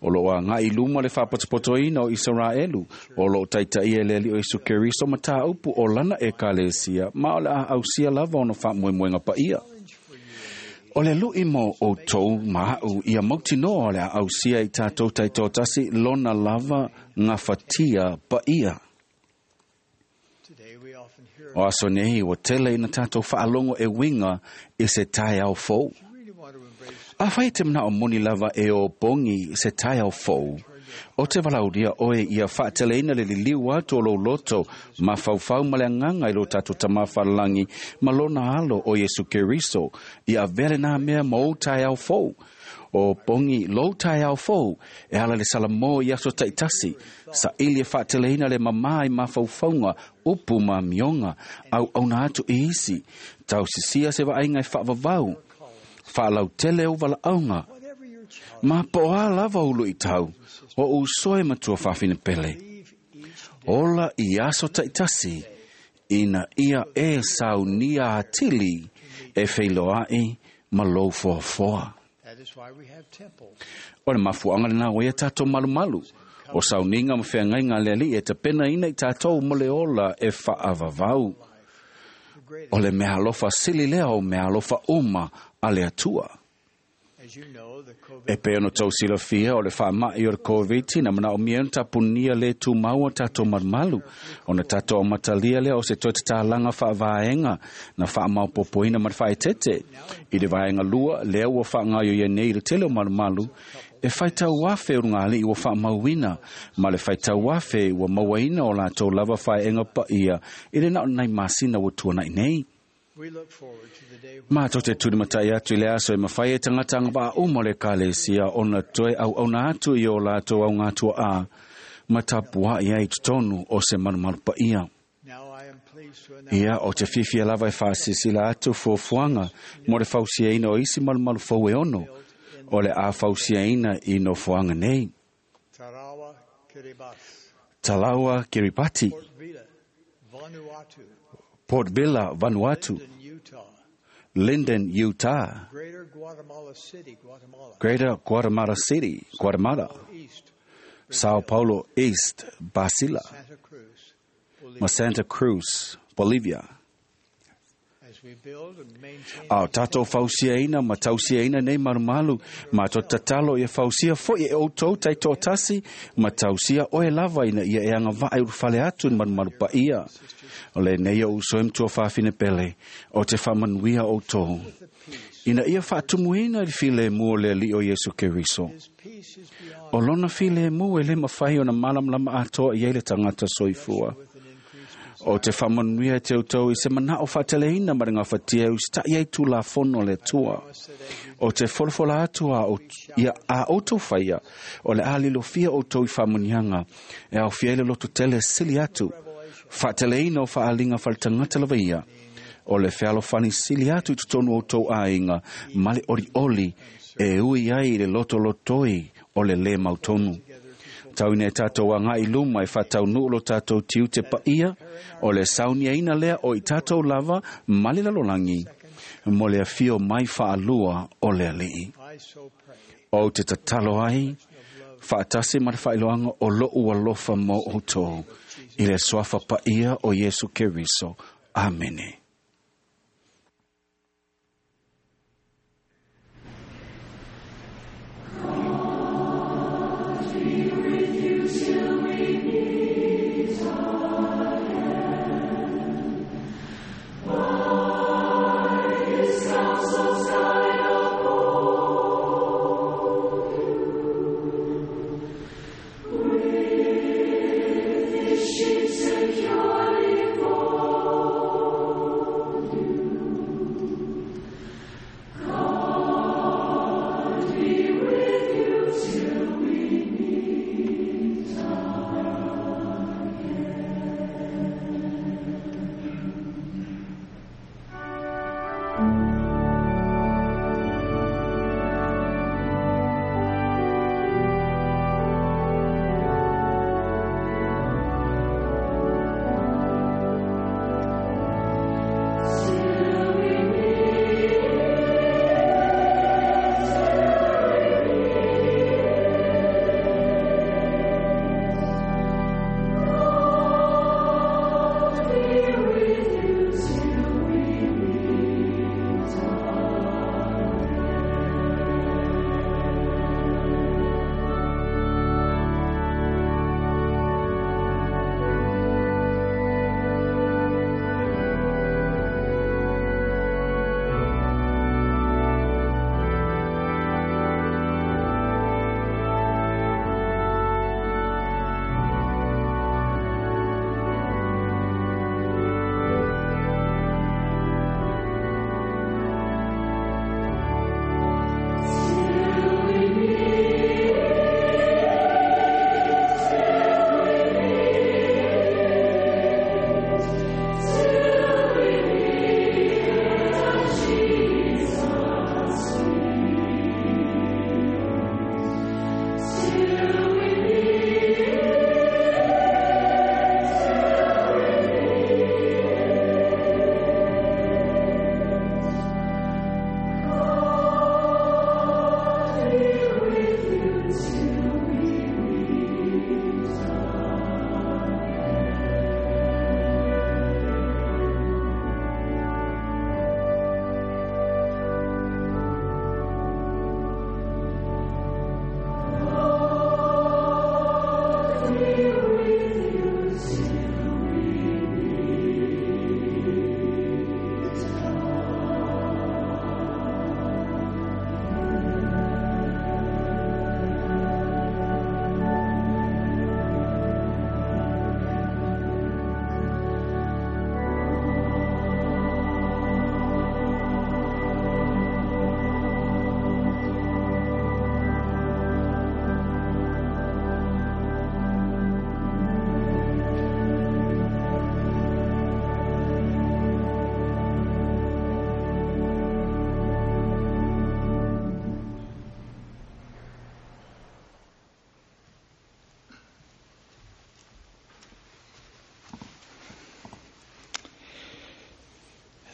O lo a ngā i luma le whapatapotoina o Israelu, o lo taitai e le li o Isu Keriso ma tā upu o lana e kalesia, ma o le a ausia lava ono whaamoemoenga pa ia. O le lui mo o tau maau ia mautinoa o le a ausia i tātou taitōtasi lona lava ngā whatia pa ia. Today we often hear O aso nei o tele ina tātou whaalongo e winga i se tai au fou. you really want to embrace A whai te mana o moni lava e o bongi se tai au fou. O te valauria oe ia whaateleina le liliu atu o lo loto ma whauwhau ma le anganga i lo tātou tamawhalangi ma lona alo o Yesu Keriso i a vele nā mea ma o tai au fou. O bongi lo tai au fou e ala le salamo i aso taitasi sa ili e whaateleina le mamai ma whauwhaunga upu ma mionga au auna atu i isi tau sisia se vainga e whaavavau whaalau tele o walaunga whatever your challenge. Ma po a lava ulu i tau, o usoe matua whawhine pele. Leave each day Ola i aso taitasi, ina ia e saunia atili, e wheiloai ma lou foafoa. That is why we have temples. O le mafuanga le nā wea tātou malumalu. O sauninga ma whengai ngā leali e te pena ina i tātou mo le ola e whaavavau. The greatest, O le mea alofa sili lea o mea alofa uma a le atua. as you know, the COVID E pe ono tau silafia o le whaamai o le COVID na mana o mia ona tapunia le tū maua tātou marumalu. Ona tātou o matalia lea o se toi te tālanga whaavaenga na whaamaupopoina ma te whaetete. I le vaenga lua lea ua whaangaio ia nei le tele o marumalu e whaitau afe o ngā ali ua whaamauina ma le whaitau afe ua mauaina o lātou lava whaenga pa ia i le nao nai masina ua tuanai nei. we look forward to the day when Mātou te turi matai atu i le aso e mawhai e tangata anga vaa umo le kalesia ona toe au auna atu i o lātou au ngātua a matapua i ai totonu o se marumaru pa ia. now I am pleased to announce Ia o te whiwhia lava e whaasisila atu fuafuanga mo le fausiaina o isi marumaru fau e ono o le a fausiaina i no fuanga nei. Tarawa Kiribati, Talawa Kiribati, Port Vila, Vanuatu, Port Vila, Vanuatu, Linden, Utah, Linden, Utah, Greater Guatemala City, Guatemala, Greater Guatemala City, Guatemala, East, Sao Paulo East, Basila, Santa Cruz, ma Bolivia. Santa Cruz, Bolivia. As A o tātou fausiaina ma tausiaina nei malumalu, ma to tatalo ia fausia foi e outou taitoatasi, ma tausia oe lava ina ia e agava'a i ulufale atu i le malumalu paia. O lenei o uso e matua fafine pele, o te faamanuia outou. Ina ia faatumuina i le filemu o le Alii o Iesu Keriso. O lona filemu e lē mafai ona malamalama atoa i ai le tagata soifua. O te faamanuia e te outou i se manao faateleina ma le gafatia e usita'i ai tulafono le Atua. O te folafola atu a, ia a outou faia, o le a lilofia outou i faamuniaga, e aofia ai le loto tele sili atu, faateleina o faaliga faletagata lava ia, o le fealofani sili atu i totonu o outou aiga ma le olioli e ui ai i le lotolotoi o le lē mautonu. Tauina e tātou agai luma e faataunuu lo tātou tiute paia, o le sauniaina lea o i tātou lava ma le lalolagi, mo le afio mai faalua o le Alii. O te tatalo ai, faatasi ma le faailoaga o lo'u alofa mo outou, i le suafa paia o Iesu Keriso. Amene. Securely folded.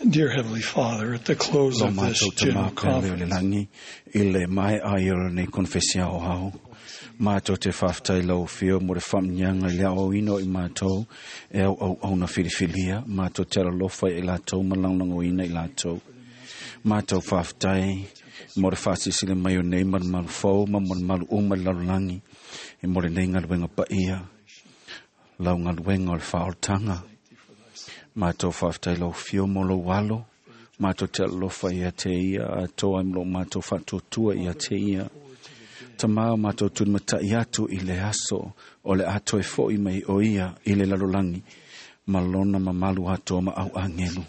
Dear Heavenly Father, at the close Lo of this mātou general tamā pele o le conference, langi i le mai ai o lenei konfesi ao hao. Mātou te whaftai lau whio mo le whamnyanga i lea o ino i mātou e au au au na whiriwhilia. Mātou te alalofa i lātou ma langlango ina i lātou. Mātou whaftai mo le whasisile mai o nei maru maru fau ma mo le maru uma i lalulangi e mo le nei ngaluenga paia. Lau ngaluenga o le whaoltanga. Mātou whaftai lau whio mo lau alo. Mātou te alalofa ia te ia atoa i mlo mātou whatuatua ia te ia. Ta mao mātou tūmatai atu i le aso o le atoe fo i mai o ia i le lalulangi. Ma lona mamalu atoa ma au angelu.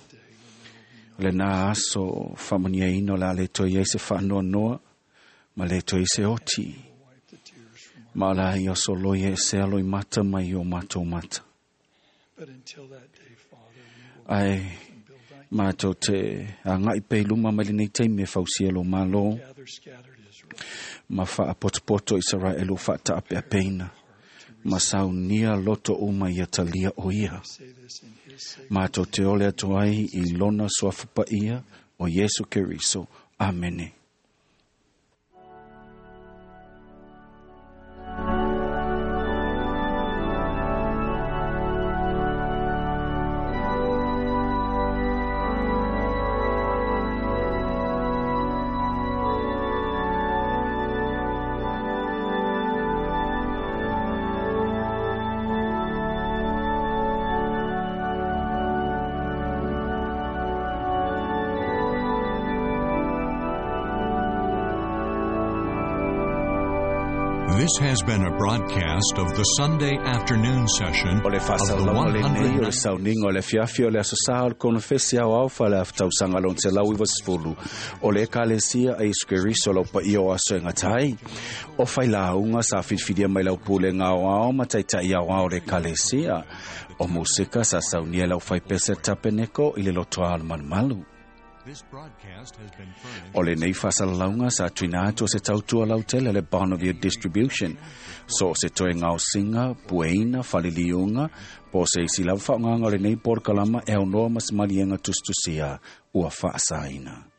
Le nā aso whamania ino la le toi e se whaanoa noa ma le toi se oti. Ma la ia soloi e se alo i mata mai o mātou mata. but until that day, Father, Ai mātou te a ngai pe luma mai lenei taimi e fausia lo malo we gather scattered Israel. ma whaapotopoto Israel o whaataapeapeina. Ma saunia loto uma ia talia o ia. Say this in his sake. Mātou te ole atu ai i lona suafupa ia o Yesu Keriso. Amene. This has been a broadcast of the Sunday afternoon session O le of the whaasalauga lenei o le one hundred sauninga o le fiafi o le aso sā o le konofesi au au wha le awhitausanga lon te lau iwa sefulu o le ekalesia a Iesu Keriso lau paia o aso e ngatai. O whai launga sa whiriwhiria mai lau pule ngā ao ma taitai au ao le ekalesia. O musika sa saunia lau whai pese tapeneko i le lotoa al malumalu. This broadcast has been furnished O le nei whasalalaunga sa tuina atu o se tautua lautele le Bonneville Distribution. So se toe ngao singa, pueina, faliliunga, po se isi lava whaonganga o le nei porkalama e aunoa mas malienga tustusia ua whaasaina.